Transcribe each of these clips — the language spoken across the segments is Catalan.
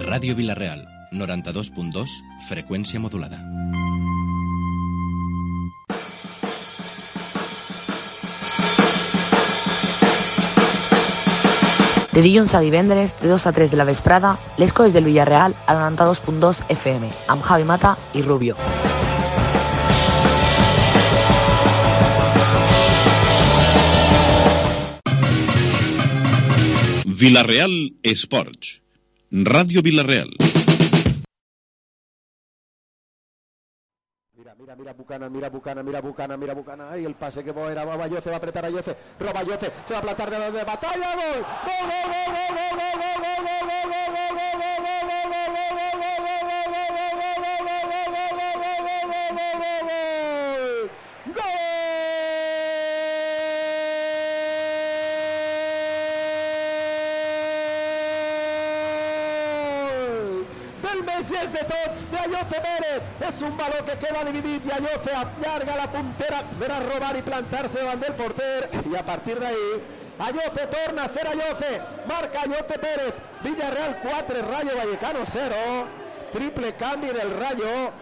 Ràdio Vila-real, 92.2, freqüència modulada. De dilluns a divendres, de 2 a 3 de la vesprada, les coses del Villarreal a 92.2 FM, amb Javi Mata i Rubio. Vila-real Esports. Ràdio Vila-real. Mira Bucana. Ay, el pase que era Bayoce, va a apretar a Yoce. Roba Yoce, se va a plantar de batalla. ¡Gol! El Messi de tots, de Ayoce Pérez. És un baló que queda dividit i Ayoce allarga la puntera per a robar i plantar-se davant del porter. I a partir d'ahí, Ayoce torna a ser Ayoce. Marca Ayoce Pérez. Villarreal 4, Rayo Vallecano 0. Triple canvi del Rayo.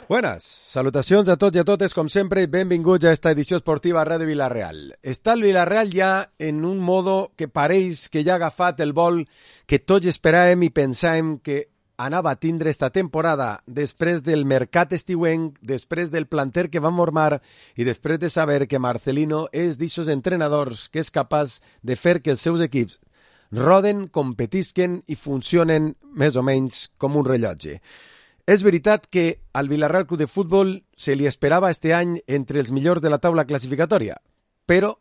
Buenas, salutacions a tots i a totes, com sempre, i benvinguts a esta edició esportiva a Ràdio Vila-real. Està el Vila-real ja en un modo que pareix que ja ha agafat el vol que tots esperàvem i pensàvem que anava a tindre esta temporada després del mercat estiuenc, després del planter que va formar i després de saber que Marcelino és d'ixos entrenadors que és capaç de fer que els seus equips roden, competisquen i funcionen més o menys com un rellotge. És veritat que al Villarreal Club de Futbol se li esperava este any entre els millors de la taula classificatòria, però,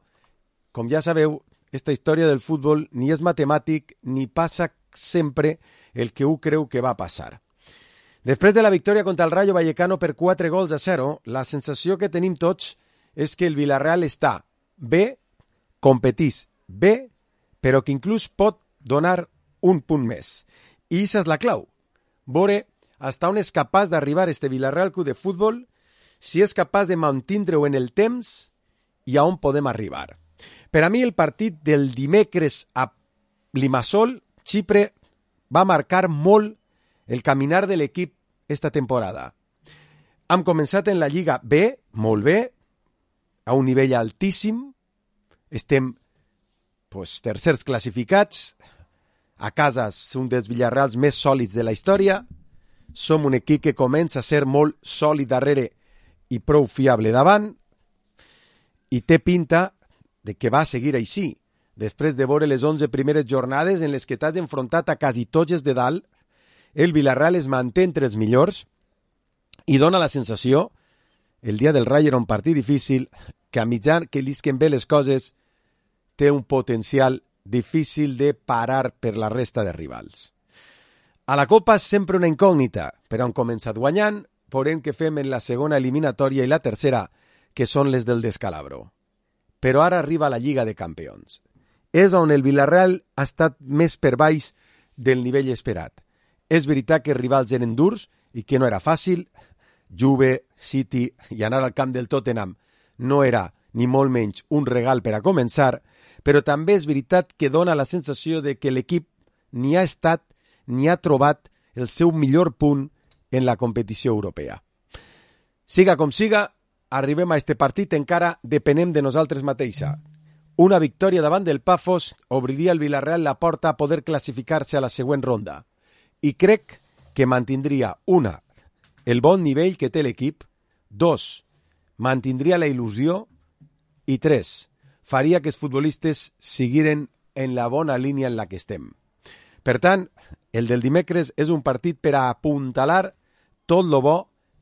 com ja sabeu, esta història del futbol ni és matemàtic ni passa sempre el que ho creu que va passar. Després de la victòria contra el Rayo Vallecano per 4-0, la sensació que tenim tots és que el Villarreal està bé, competís bé, però que inclús pot donar un punt més. I això és la clau. Veure fins on és capaç d'arribar este Villarreal Club de Futbol, si és capaç de mantindre-ho en el temps i a on podem arribar. Per a mi el partit del dimecres a Limassol, Xipre, va marcar molt el caminar de l'equip esta temporada. Hem començat en la Lliga bé, molt bé, a un nivell altíssim, estem tercers classificats, a casa un dels Villarreals més sòlids de la història, som un equip que comença a ser molt sòlid darrere i prou fiable davant, i té pinta de que va seguir així. Després de veure les 11 primeres jornades en les que t'has enfrontat a quasi tots els de dalt, el Villarreal es manté entre els millors i dona la sensació, el dia del Rayo era un partit difícil, que a mitjà que lisquen bé les coses, té un potencial difícil de parar per la resta de rivals. A la Copa és sempre una incògnita, però han començat guanyant, veurem què fem en la segona eliminatòria i la tercera, que són les del descalabro. Però ara arriba la Lliga de Campions. És on el Villarreal ha estat més per baix del nivell esperat. És veritat que els rivals eren durs i que no era fàcil. Juve, City i anar al camp del Tottenham no era ni molt menys un regal per a començar, però també és veritat que dona la sensació de que l'equip ni ha estat ni ha trobat el seu millor punt en la competició europea. Siga com siga, arribem a este partit encara depenem de nosaltres mateixa. Una victòria davant del Pafos obriria al Villarreal la porta a poder classificar-se a la següent ronda. I crec que mantindria, una, el bon nivell que té l'equip, dos, mantindria la il·lusió i tres, faria que els futbolistes seguiren en la bona línia en la que estem. Per tant, el del dimecres és un partit per a apuntalar tot lo bo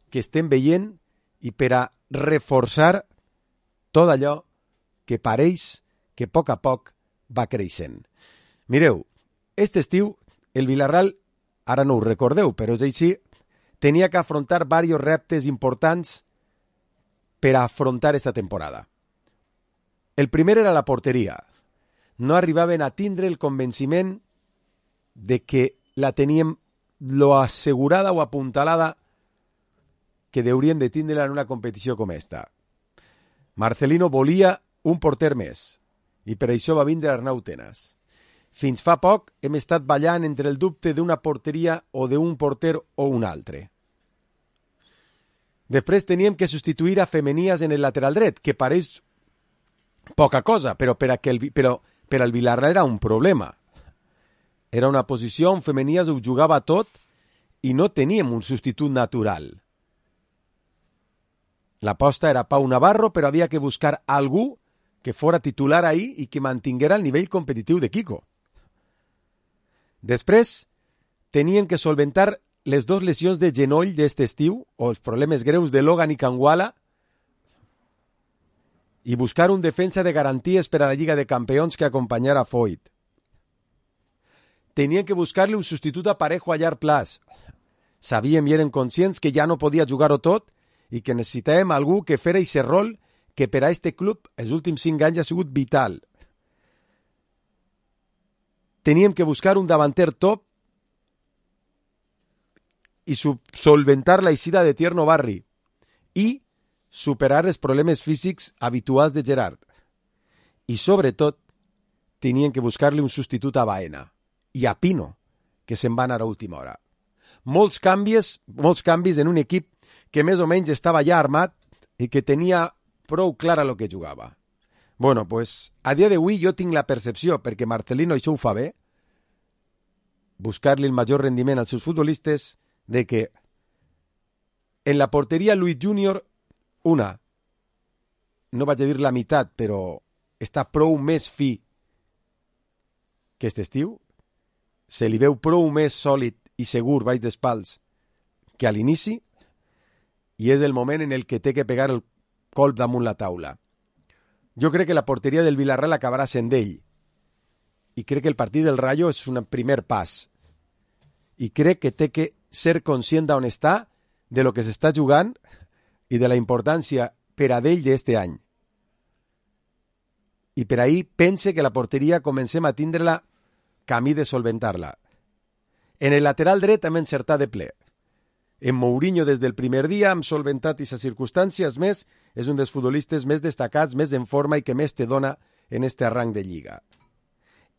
que estem veient i per a reforçar tot allò que pareix que a poc va creixent. Mireu, aquest estiu el Villarreal, ara no ho recordeu, però és així, tenia que afrontar diversos reptes importants per a afrontar esta temporada. El primer era la porteria. No arribaven a tindre el convenciment de que la teníem lo assegurada o apuntalada que hauríem de tindre en una competició com esta. Marcelino volia un porter més i per això va vindre Arnau Tenas. fins fa poc hem estat ballant entre el dubte d'una porteria o d'un porter o un altre. Després teníem que substituir a Femenias en el lateral dret, que pareix poca cosa, però per al Villarreal era un problema. Era una posició on Femenias ho jugava tot i no teníem un substitut natural. L'aposta era Pau Navarro, però havia que buscar algú que fora titular ahí i que mantinguera el nivell competitiu de Kiko. Després, teníem que solventar les dues lesions de genoll d'est estiu, o els problemes greus de Logan i Kangwala, i buscar un defensa de garanties per a la Lliga de Campions que acompanyara Foyt. Teníem que buscar-li un substitut a Parejo a llarg plaç. Sabíem i érem conscients que ja no podia jugar-ho tot i que necessitàvem algú que fera aquest rol que per a este club els últims 5 anys ha sigut vital. Teníem que buscar un davanter top i solventar la eixida de Tierno Barri i superar els problemes físics habituals de Gerard. I sobretot tenien que buscar-li un substitut a Baena i a Pino, que se'n va anar a última hora. Molts canvis en un equip que més o menys estava ja armat i que tenia prou clara el que jugava. Bueno, pues a dia d'avui jo tinc la percepció, perquè Marcelino això ho fa bé, buscar-li el major rendiment als seus futbolistes, de que en la porteria Luis Junior, no vaig a dir la meitat, però està prou més fi que aquest estiu, se li veu prou més sòlid i segur baix d'espals que a l'inici, i és el moment en el que té que pegar el colp damunt la taula. Jo crec que la porteria del Villarreal acabarà sent d'ell, i crec que el partit del Rayo és un primer pas, i crec que té que ser conscient d'on està, de lo que s'està jugant i de la importància per a d'ell d'este any. I per ahir pense que la porteria comencem a tindre-la camí de solventar-la. En el lateral dret hem encertat de ple. En Mourinho des del primer dia hem solventat aquestes circumstàncies, més és un dels futbolistes més destacats, més en forma i que més te dona en este arranc de Lliga.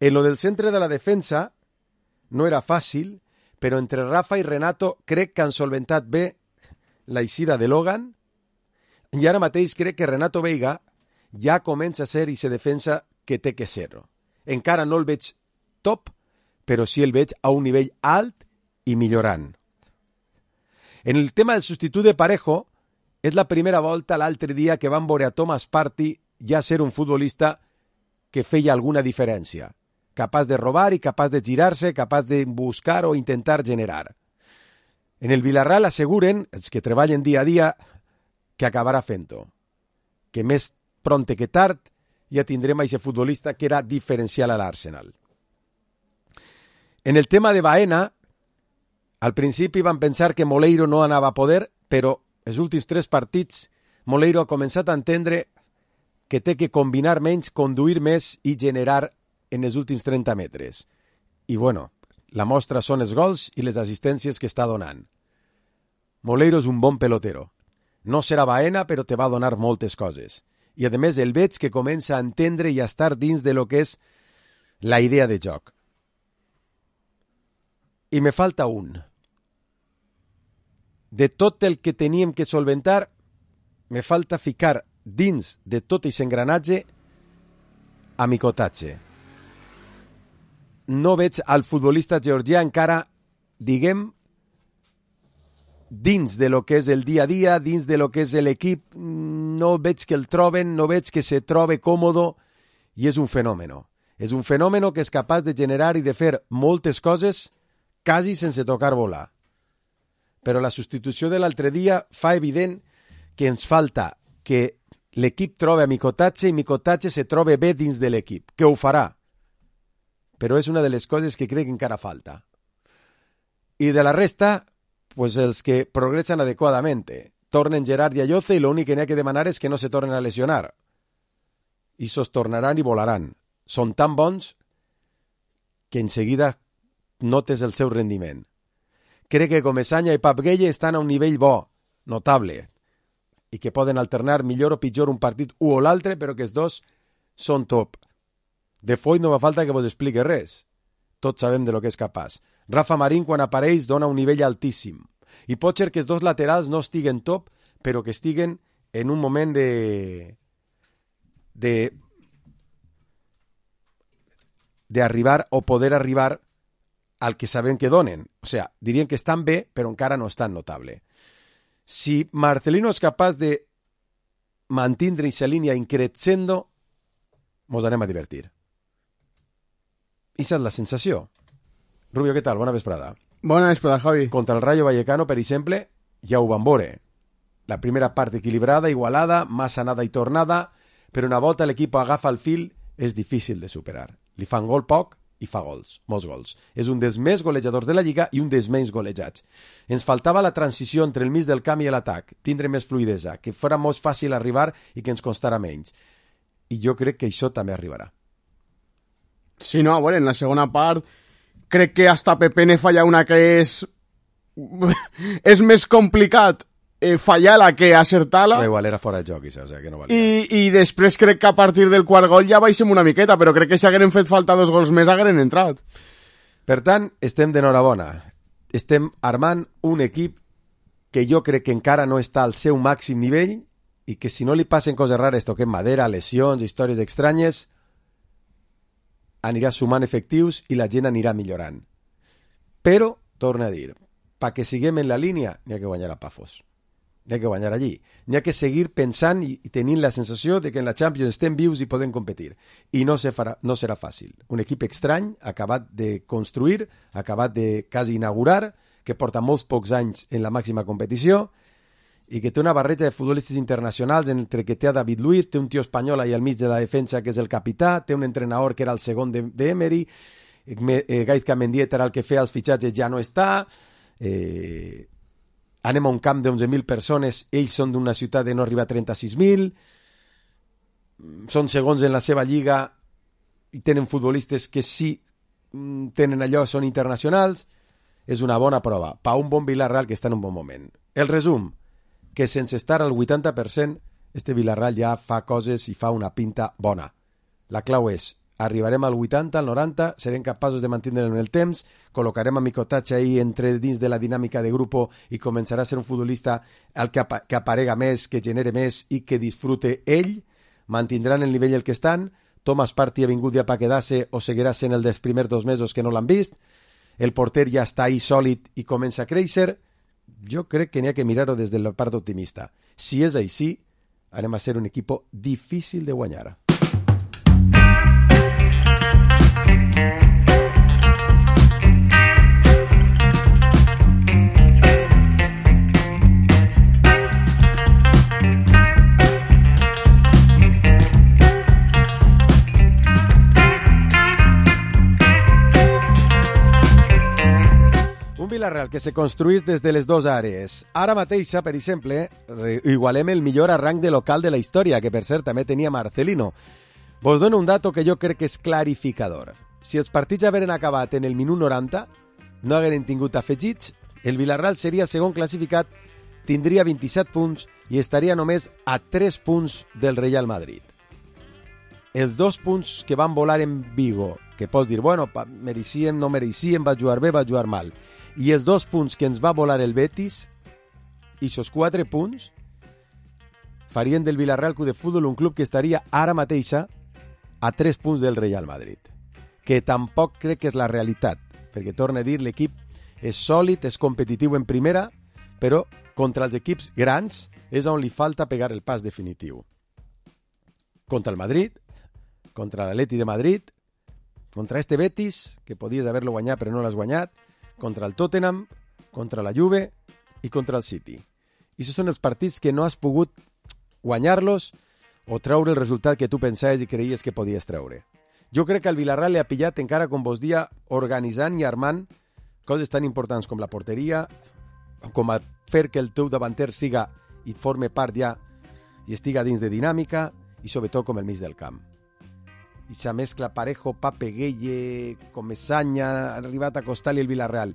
En lo del centre de la defensa no era fàcil, però entre Rafa i Renato crec que han solventat bé la eixida de Logan i ara mateix crec que Renato Veiga ja comença a ser i se defensa que té que ser. Encara no el veig top, però sí el veig a un nivell alt i millorant. En el tema del substitut de Parejo, és la primera volta l'altre dia que van veure a Thomas Partey ja ser un futbolista que feia alguna diferència, capaç de robar i capaç de girar-se, capaç de buscar o intentar generar. En el Villarreal asseguren, els que treballen dia a dia, que acabarà fent-ho, que més pronte que tard ja tindrem aquest futbolista que era diferencial a l'Arsenal. En el tema de Baena, al principi van pensar que Moleiro no anava a poder, però els últims 3 partits Moleiro ha començat a entendre que té que combinar menys, conduir més i generar en els últims 30 metres. I bueno, la mostra són els gols i les assistències que està donant. Moleiro és un bon pelotero. No serà Baena, però te va donar moltes coses. I a més el veig que comença a entendre i a estar dins de lo que és la idea de joc. I me falta un. De tot el que teníem que solventar, me falta ficar dins de tot aquest engranatge a Mikotatze. No veig al futbolista georgià encara, diguem, dins de lo que és el dia a dia, dins de lo que és l'equip, no veig que el troben, no veig que se trobe còmodo, i és un fenomen. És un fenomen que és capaç de generar i de fer moltes coses quasi sense tocar bola. Però la substitució de l'altre dia fa evident que ens falta que l'equip trobe a Mikotatze i Mikotatze se trobe bé dins de l'equip, que ho farà. Però és una de les coses que crec que encara falta. I de la resta, pues els que progressen adequadament. Tornen Gerard i Ayoce i l'únic que n'hi ha que demanar és que no se tornen a lesionar. I sos tornaran i volaran. Són tan bons que en seguida notes el seu rendiment. Crec que Comesaña i Pap Gueye estan a un nivell bo, notable, i que poden alternar millor o pitjor un partit u o l'altre, però que els dos són top. De Foyt no fa falta que vos expliqui res. Tots sabem de lo que és capaç. Rafa Marín, quan apareix, dona un nivell altíssim. I pot ser que els dos laterals no estiguen top, però que estiguen en un moment d'arribar o poder arribar al que sabem que donen. O sigui, dirien que estan bé, però encara no estan notable. Si Marcelino és capaç de mantindre aquesta línia increixendo, mos anem a divertir. Aquesta és la sensació. Rubio, què tal? Bona vesprada. Bona vesprada, Javi. Contra el Rayo Vallecano, per exemple, ja ho van veure. La primera part equilibrada, igualada, massa anada i tornada, però una volta l'equip agafa el fil, és difícil de superar. Li fan gol poc i fa gols, molts gols. És un dels més golejadors de la Lliga i un dels menys golejats. Ens faltava la transició entre el mig del camp i l'atac, tindre més fluidesa, que fora molt fàcil arribar i que ens costara menys. I jo crec que això també arribarà. Sí, no, a veure, en la segona part crec que hasta Pepene falla una que és més complicat fallar-la que acertar-la. Igual era fora de joc, això, o sigui que no valia. I després crec que a partir del quart gol ja baixem una miqueta, però crec que si hagueren fet falta 2 gols més hagueren entrat. Per tant, estem d'enhorabona. Estem armant un equip que jo crec que encara no està al seu màxim nivell i que si no li passen coses rares, toquem madera, lesions, històries estranyes, anirà sumant efectius i la gent anirà millorant. Però, torno a dir, perquè siguem en la línia, n'hi ha que guanyar a Pafos. N'hi ha que guanyar allí. N'hi ha que seguir pensant i tenint la sensació de que en la Champions estem vius i podem competir. I no serà fàcil. Un equip estrany, acabat de construir, acabat de quasi inaugurar, que porta molts pocs anys en la màxima competició i que té una barreja de futbolistes internacionals entre que té a David Luiz, té un tio espanyol ahí al mig de la defensa que és el capità, té un entrenador que era el segon d'Emery, Gaizka Mendieta era el que feia els fitxatges, ja no està, anem a un camp d'11.000 persones, ells són d'una ciutat de no arribar a 36.000, són segons en la seva lliga i tenen futbolistes que sí tenen allò, són internacionals. És una bona prova per un bon Villarreal que està en un bon moment. El resum, que sense estar al 80%, este Villarreal ja fa coses i fa una pinta bona. La clau és, arribarem al 80, al 90, serem capaços de mantenir en el temps, col·locarem a Micotatge ahí entre dins de la dinàmica de grupo i començarà a ser un futbolista al que aparega més, que genere més i que disfrute ell, mantindran el nivell el que estan, Thomas Partey ha vingut ja per quedar-se o seguirà sent el dels primers 2 mesos que no l'han vist, el porter ja està ahí sòlid i comença a créixer. Jo crec que n'hi ha que mirar-ho des de la part optimista. Si és així, anem a ser un equip difícil de guanyar. Villarreal que se construís des de les dues àrees. Ara mateixa, per exemple, igualem el millor arranc de local de la història, que per cert també tenia Marcelino. Vos dono un dato que jo crec que és clarificador. Si els partits hagueren acabat en el minut 90, no hagueren tingut afegits, el Villarreal seria segon classificat, tindria 27 punts i estaria només a 3 punts del Real Madrid. Els 2 punts que van volar en Vigo, que pots dir, bueno, mereixíem, no mereixíem, va jugar bé, va jugar mal. I els 2 punts que ens va volar el Betis, i aquests 4 punts, farien del Villarreal Club de Futbol un club que estaria ara mateixa a 3 punts del Real Madrid. Que tampoc crec que és la realitat, perquè, torno a dir, l'equip és sòlid, és competitiu en primera, però contra els equips grans és on li falta pegar el pas definitiu. Contra el Madrid, contra l'Atleti de Madrid, contra este Betis, que podies haver-lo guanyat però no l'has guanyat, contra el Tottenham, contra la Juve i contra el City. I aquests són els partits que no has pogut guanyar-los o treure el resultat que tu pensaves i creies que podies treure. Jo crec que el Villarreal li ha pillat encara, com vos dia, organitzant i armant coses tan importants com la porteria, com a fer que el teu davanter siga i forme part ja i estiga dins de dinàmica i sobretot com el mig del camp. I sa mescla Parejo, Pape Gueye, Comesaña, ha arribat a costar-li el Villarreal.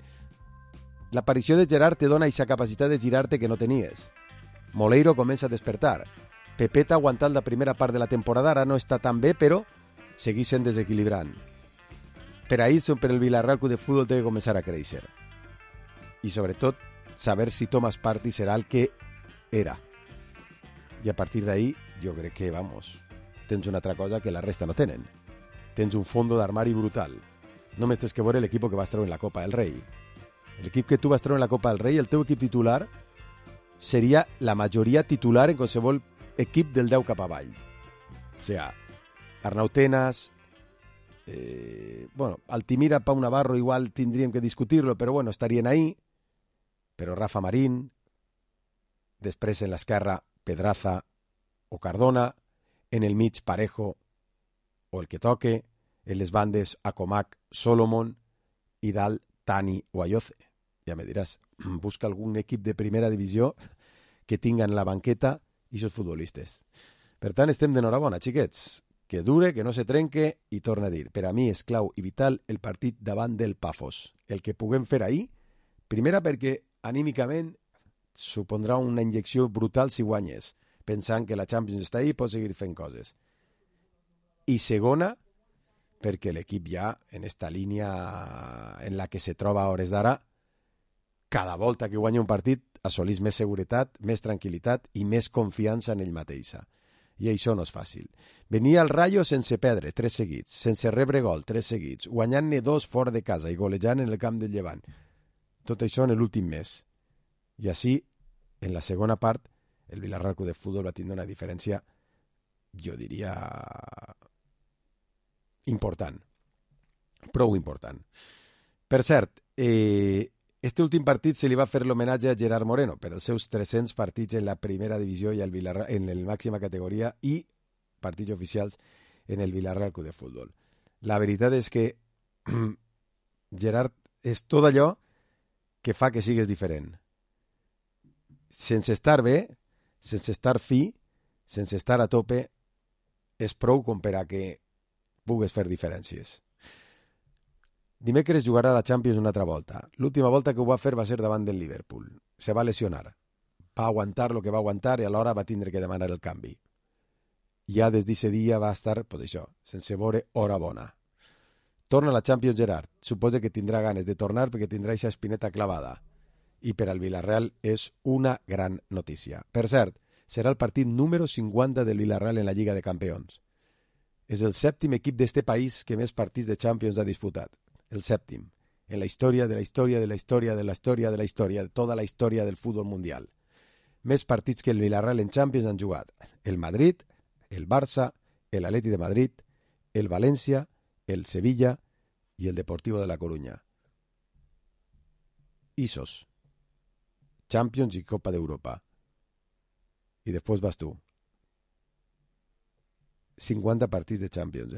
L'aparició de Gerard te dona aquesta capacitat de girar-te que no tenies. Moleiro comença a despertar. Pepeta ha aguantat la primera part de la temporada, ara no està tan bé, però segueixen desequilibrant. Per ahir, per el Villarreal Club de Futbol té que començar a créixer. I sobretot, saber si Thomas Partey serà el que era. I a partir d'ahir, jo crec que, tens una altra cosa que la resta no tenen. Tens un fondo d'armari brutal. Només tens que veure l'equip que vas treure en la Copa del Rei. L'equip que tu vas treure en la Copa del Rei, el teu equip titular, seria la majoria titular en qualsevol equip del 10 cap avall. O sigui, Arnau Tenas, Altimira, Pau Navarro igual tindríem que discutir-lo, però estarien ahí. Però Rafa Marín, després en l'esquerra Pedraza o Cardona, en el mig Parejo o el que toque, en les bandes Acomac, Solomon i dalt Tani o Ayoce. Ja me diràs, busca algun equip de primera divisió que tingan la banqueta i aquests futbolistes. Per tant, estem d'enhorabona, xiquets. Que dure, que no se trenque, i torna a dir, per a mi és clau i vital el partit davant del Pafos. El que puguem fer ahir, primera perquè anímicament supondrà una injecció brutal si guanyes, pensant que la Champions està ahí i pot seguir fent coses. I segona, perquè l'equip ja, en esta línia en la que se troba a hores d'ara, cada volta que guanya un partit assolís més seguretat, més tranquil·litat i més confiança en ell mateixa. I això no és fàcil. Venia el Rayo sense perdre 3 seguits, sense rebre gol 3 seguits, guanyant-ne 2 fora de casa i golejant en el camp del Llevant. Tot això en l'últim mes. I així, en la segona part, el Villarreal Club de Futbol va tindre una diferència, jo diria, important. Prou important. Per cert, este últim partit se li va fer l'homenatge a Gerard Moreno per els seus 300 partits en la primera divisió i en la màxima categoria i partits oficials en el Villarreal Club de Futbol. La veritat és que Gerard és tot allò que fa que sigues diferent. Sense estar bé, sense estar fi, sense estar a tope, és prou com per a que pugues fer diferències. Dimecres jugarà la Champions una altra volta. L'última volta que ho va fer va ser davant del Liverpool. Se va lesionar. Va aguantar el que va aguantar i alhora va tindre que demanar el canvi. Ja des d'aquest dia va estar, sense veure hora bona. Torna a la Champions Gerard. Suposa que tindrà ganes de tornar perquè tindrà aquesta espineta clavada. I per al Villarreal és una gran notícia. Per cert, serà el partit número 50 del Villarreal en la Lliga de Campions. És el 7è equip d'este país que més partits de Champions ha disputat. El 7è, en la història de la història de la història de la història de la història, de tota la història del futbol mundial. Més partits que el Villarreal en Champions han jugat el Madrid, el Barça, el Atleti de Madrid, el València, el Sevilla i el Deportivo de la Coruña. Isos. Champions i Copa d'Europa. I després vas tu. 50 partits de Champions,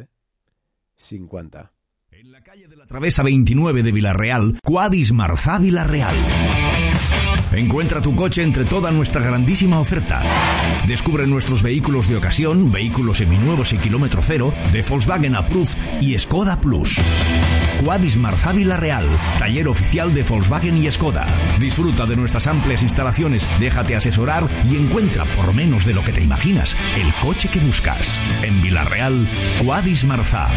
50. En la calle de la Travesa 29 de Villarreal, Quadis Marzá Villarreal. Encuentra tu coche entre toda nuestra grandísima oferta. Descubre nuestros vehículos de ocasión, vehículos seminuevos y kilómetro cero, de Volkswagen Approved y Skoda Plus. Quadis Marzá Villarreal, taller oficial de Volkswagen y Skoda. Disfruta de nuestras amplias instalaciones, déjate asesorar y encuentra, por menos de lo que te imaginas, el coche que buscas. En Villarreal, Quadis Marzá.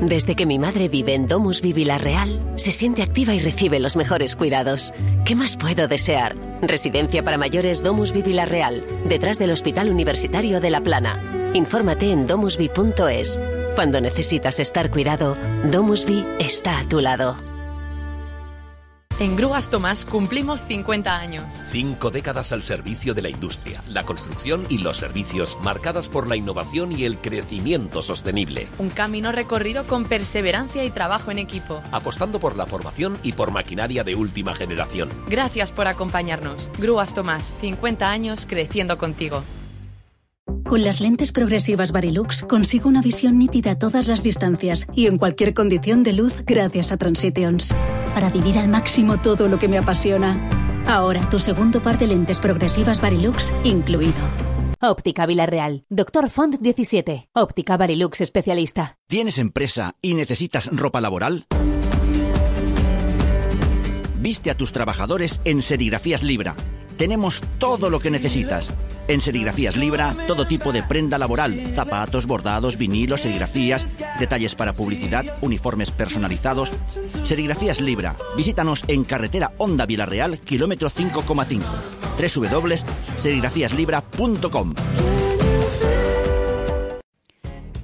Desde que mi madre vive en Domusvi Villarreal, se siente activa y recibe los mejores cuidados. ¿Qué más puedo desear? Residencia para mayores Domusvi Villarreal, detrás del Hospital Universitario de La Plana. Infórmate en domusvi.es. Cuando necesitas estar cuidado, Domusvi está a tu lado. En Grúas Tomás cumplimos 50 años. 5 décadas al servicio de la industria, la construcción y los servicios, marcadas por la innovación y el crecimiento sostenible. Un camino recorrido con perseverancia y trabajo en equipo. Apostando por la formación y por maquinaria de última generación. Gracias por acompañarnos. Grúas Tomás, 50 años creciendo contigo. Con las lentes progresivas Varilux consigo una visión nítida a todas las distancias y en cualquier condición de luz gracias a Transitions. Para vivir al máximo todo lo que me apasiona. Ahora tu segundo par de lentes progresivas Varilux incluido. Óptica Villarreal. Dr. Font 17. Óptica Varilux especialista. ¿Tienes empresa y necesitas ropa laboral? Viste a tus trabajadores en Serigrafías Libra. Tenemos todo lo que necesitas. En Serigrafías Libra, todo tipo de prenda laboral, zapatos, bordados, vinilos, serigrafías, detalles para publicidad, uniformes personalizados. Serigrafías Libra. Visítanos en carretera Honda Vilarreal, kilómetro 5,5. www.serigrafíaslibra.com.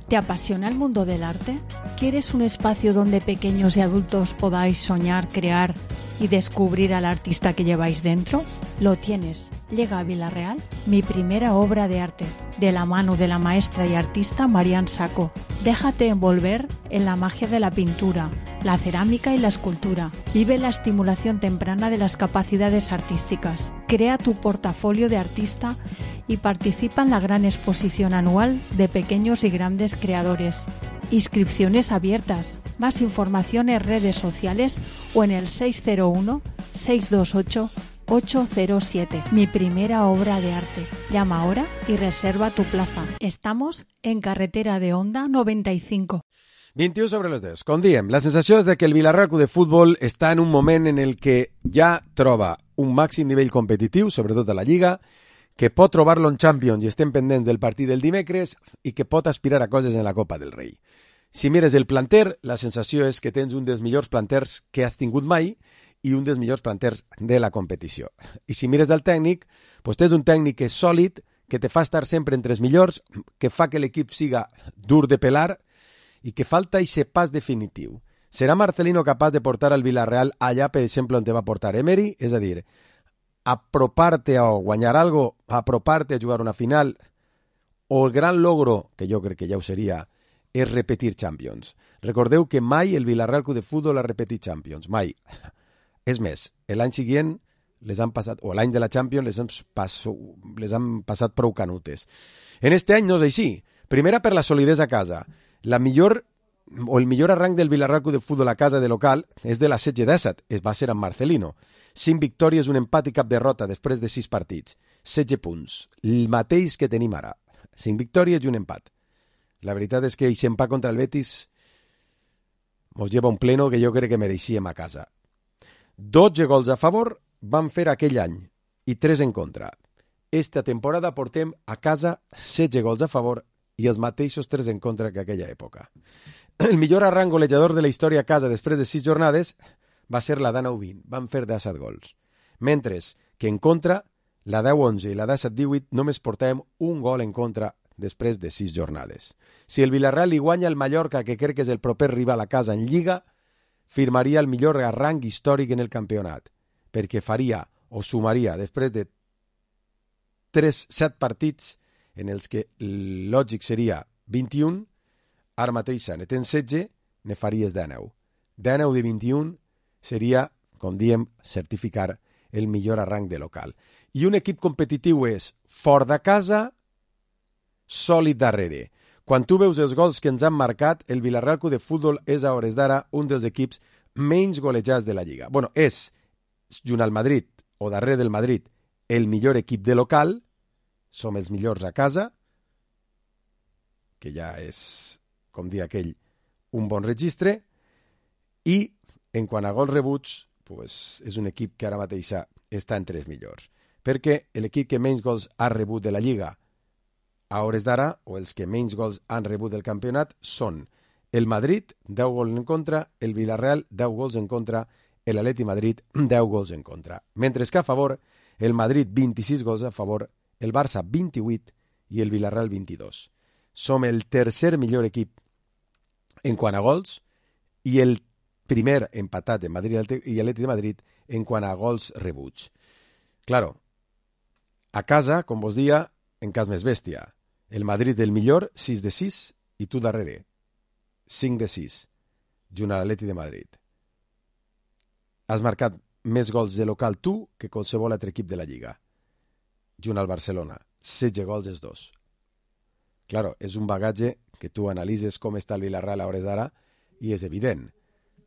¿Te apasiona el mundo del arte? ¿Quieres un espacio donde pequeños y adultos podáis soñar, crear y descubrir al artista que lleváis dentro? Lo tienes. Llega a Vilarreal mi primera obra de arte, de la mano de la maestra y artista Marian Saco. Déjate envolver en la magia de la pintura, la cerámica y la escultura. Vive la estimulación temprana de las capacidades artísticas. Crea tu portafolio de artista y participa en la gran exposición anual de pequeños y grandes creadores. Inscripciones abiertas. Más información en redes sociales o en el 601-628-807. Mi primera obra de arte. Llama ahora y reserva tu plaza. Estamos en carretera de Honda 95. 21 sobre les 10. Com diem, la sensació és de que el Vilarreal Club de Futbol està en un moment en el que ja troba un màxim nivell competitiu, sobretot a la Lliga, que pot trobar-lo en Champions i estem pendents del partit del dimecres i que pot aspirar a coses en la Copa del Rei. Si mires el planter, la sensació és que tens un dels millors planters que has tingut mai i un dels millors planters de la competició. I si mires el tècnic, doncs tens un tècnic que és sòlid, que te fa estar sempre entre els millors, que fa que l'equip siga dur de pelar i que falta aquest pas definitiu. Serà Marcelino capaç de portar al Villarreal allà, per exemple, on te va portar Emery? És a dir, apropar-te a guanyar algo, apropar-te a jugar una final, o el gran logro, que jo crec que ja ho seria, és repetir Champions. Recordeu que mai el Vilarreal Club de Futbol ha repetit Champions, mai. És més, l'any següent les han passat, o l'any de la Champions les han passat prou canutes. En este any no és així. Primera per la solidesa a casa. El millor arranc del Vilarreal Club de Futbol a casa de local és de la 16-17, va ser amb Marcelino. 5 victòries, un empat i cap derrota després de 6 partits. 16 punts, el mateix que tenim ara. 5 victòries i un empat. La veritat és que aquest empat contra el Betis mos lleva un pleno que jo crec que mereixíem a casa. 12 gols a favor van fer aquell any i 3 en contra. Esta temporada portem a casa 16 gols a favor i els mateixos 3 en contra que aquella època. El millor arranc golejador de la història a casa després de 6 jornades va ser la d'19-20, van fer 17 gols. Mentre que en contra, la 10-11 i la 17-18 només portàvem un gol en contra després de 6 jornades. Si el Villarreal li guanya el Mallorca, que crec que és el proper rival a casa en Lliga, firmaria el millor arranc històric en el campionat, perquè faria o sumaria després de 7 partits en els que lògic seria 21, ara mateix ne tens 16, ne faries 19. 19 de 21 seria, com diem, certificar el millor arranc de local. I un equip competitiu és fort de casa, sòlid darrere. Quan tu veus els gols que ens han marcat, el Vilarreal Club de Futbol és a hores d'ara un dels equips menys golejats de la Lliga. Bueno, és, junt al Madrid, o darrere del Madrid, el millor equip de local, som els millors a casa, que ja és, com dir aquell, un bon registre, i en quant a gols rebuts, pues, és un equip que ara mateix està entre els millors. Perquè l'equip que menys gols ha rebut de la Lliga a hores d'ara, o els que menys gols han rebut del campionat, són el Madrid, 10 gols en contra, el Villarreal, 10 gols en contra, l'Atleti Madrid, 10 gols en contra. Mentre que a favor, el Madrid, 26 gols a favor, el Barça, 28, i el Villarreal, 22. Som el tercer millor equip en quant a gols, i el primer empatat en Madrid i Atleti de Madrid en quant a gols rebuts. Claro, a casa, com vos dia, en cas més bèstia. El Madrid el millor, 6 de 6, i tu darrere, 5 de 6, junt a l'Atleti de Madrid. Has marcat més gols de local tu que qualsevol altre equip de la Lliga. Junt al Barcelona, 16 gols els dos. Claro, és un bagatge que tu analitzes com està el Villarreal a hores d'ara i és evident.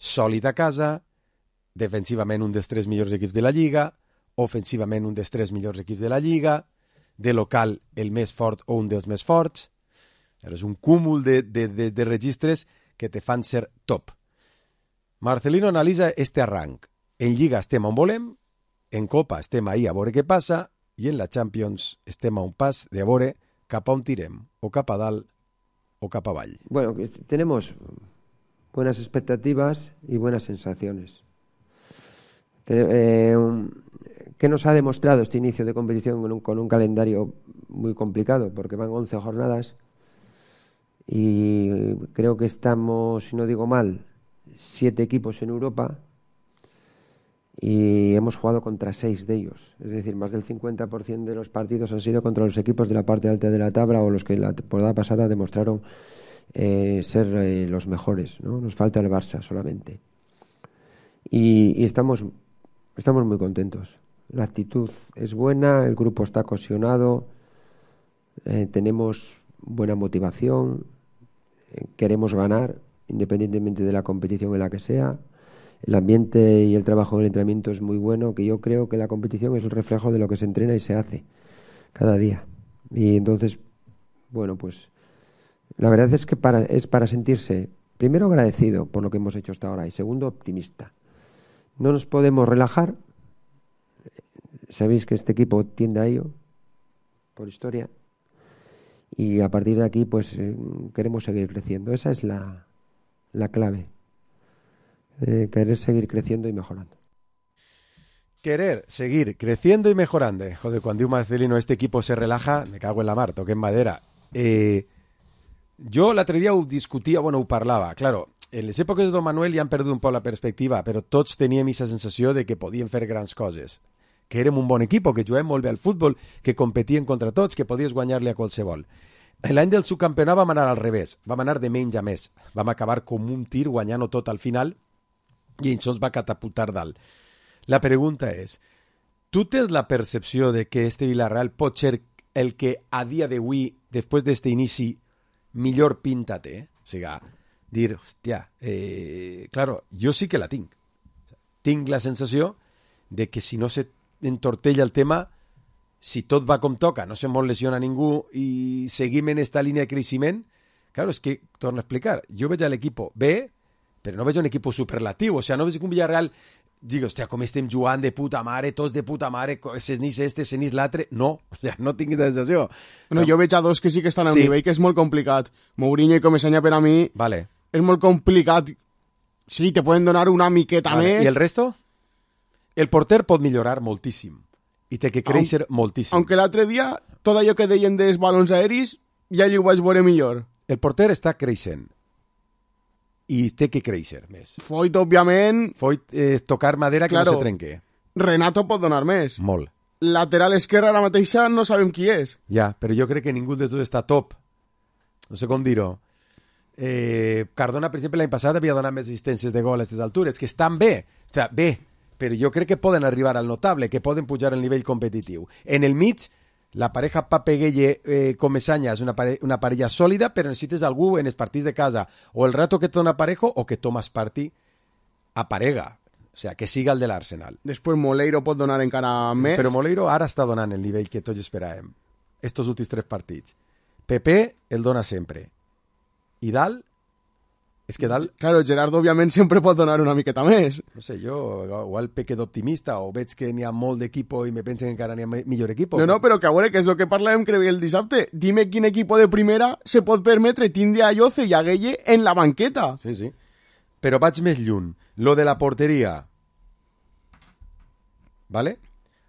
Sòlid a casa, defensivament un dels 3 millors equips de la Lliga, ofensivament un dels 3 millors equips de la Lliga, de local el més fort o un dels més forts. És un cúmul de registres que te fan ser top. Marcelino analitza este arranc. En Lliga estem on volem, en Copa estem ahí a veure què passa, i en la Champions estem a un pas de a veure cap a on tirem, o cap a dalt o cap avall. Bueno, tenemos buenas expectativas y buenas sensaciones. ¿Qué nos ha demostrado este inicio de competición con un calendario muy complicado? Porque van 11 jornadas y creo que estamos, si no digo mal, 7 equipos en Europa y hemos jugado contra 6 de ellos. Es decir, más del 50% de los partidos han sido contra los equipos de la parte alta de la tabla o los que la temporada pasada demostraron ser los mejores, ¿no? Nos falta el Barça solamente. Y estamos muy contentos. La actitud es buena, el grupo está cohesionado, tenemos buena motivación, queremos ganar independientemente de la competición en la que sea. El ambiente y el trabajo en el entrenamiento es muy bueno, que yo creo que la competición es el reflejo de lo que se entrena y se hace cada día. Y entonces, bueno, pues la verdad es que es para sentirse, primero, agradecido por lo que hemos hecho hasta ahora y segundo, optimista. No nos podemos relajar. Sabéis que este equipo tiende a ello, por historia, y a partir de aquí pues queremos seguir creciendo. Esa es la clave. Querer seguir creciendo y mejorando. Querer seguir creciendo y mejorando. Joder, cuando un Marcelino este equipo se relaja, me cago en la mar, toqué en madera. Jo l'altre dia ho discutia, ho parlava. Claro, en les èpoques de Don Manuel ja han perdut un poc la perspectiva, però tots teníem aquesta sensació de que podien fer grans coses, que érem un bon equip, que juguem molt bé al futbol, que competien contra tots, que podies guanyar-li a qualsevol. L'any del subcampionat vam anar al revés, vam anar de menys a més. Vam acabar com un tir guanyant-ho tot al final i això ens va catapultar dalt. La pregunta és, tu tens la percepció de que este Villarreal pot ser el que a dia d'avui, després d'este inici, millor pinta té? O sigui, dir, hòstia, claro, jo sí que la tinc. Tinc la sensació de que si no se entortella el tema, si tot va com toca, no se mos lesiona ningú i seguim en esta línia de creixement, claro, és que, torno a explicar, jo veig l'equip bé, però no veig un equip superlatiu, o sigui, no veig que un Villarreal dic, hòstia, com estem jugant de puta mare, tots de puta mare, senís este, senís l'altre, no, o sigui, no tinc aquesta sensació. No, jo veig a dos que sí que estan a un nivell que és molt complicat. Mourinho i Comesaña per a mi és molt complicat. Sí, te poden donar una miqueta més. I el resto? El porter pot millorar moltíssim i té que créixer moltíssim. Aunque l'altre dia, tot allò que deien dels balons aeris, ja ho vaig veure millor. El porter està creixent i té que créixer més. Foyt, òbviament... Foyt és tocar madera que no se trenque. Renato pot donar més. Molt. Lateral esquerra ara mateixa no sabem qui és. Ja, però jo crec que ningú dels dos està top. No sé com dir-ho. Cardona, per exemple, l'any passat havia donat més assistències de gol a aquestes altures, que estan bé. O sigui, bé, però jo crec que poden arribar al notable, que poden pujar el nivell competitiu. En el mig, la pareja Pape Gueye Comesaña és una parella sòlida, però necessites algú en els partits de casa, o el rato que te dona parejo, o que tomas parti a parega. O sigui, que siga el de l'Arsenal. Després Moleiro pot donar encara més. Però Moleiro ara està donant el nivell que tots esperàvem. Estos últims 3 partits. Pepe el dona sempre. I Dalt? És que Dalt... Claro, Gerardo, òbviament, sempre pot donar una miqueta més. No sé, jo igual peque d'optimista o veig que n'hi ha molt d'equip i me pensen que encara n'hi ha millor equip. No, però que a veure, que és el que parlàvem crec el dissabte. Dime quin equip de primera se pot permetre tindre a Lloce i a Gueye en la banqueta. Sí, sí. Però vaig més lluny. Lo de la porteria. ¿Vale?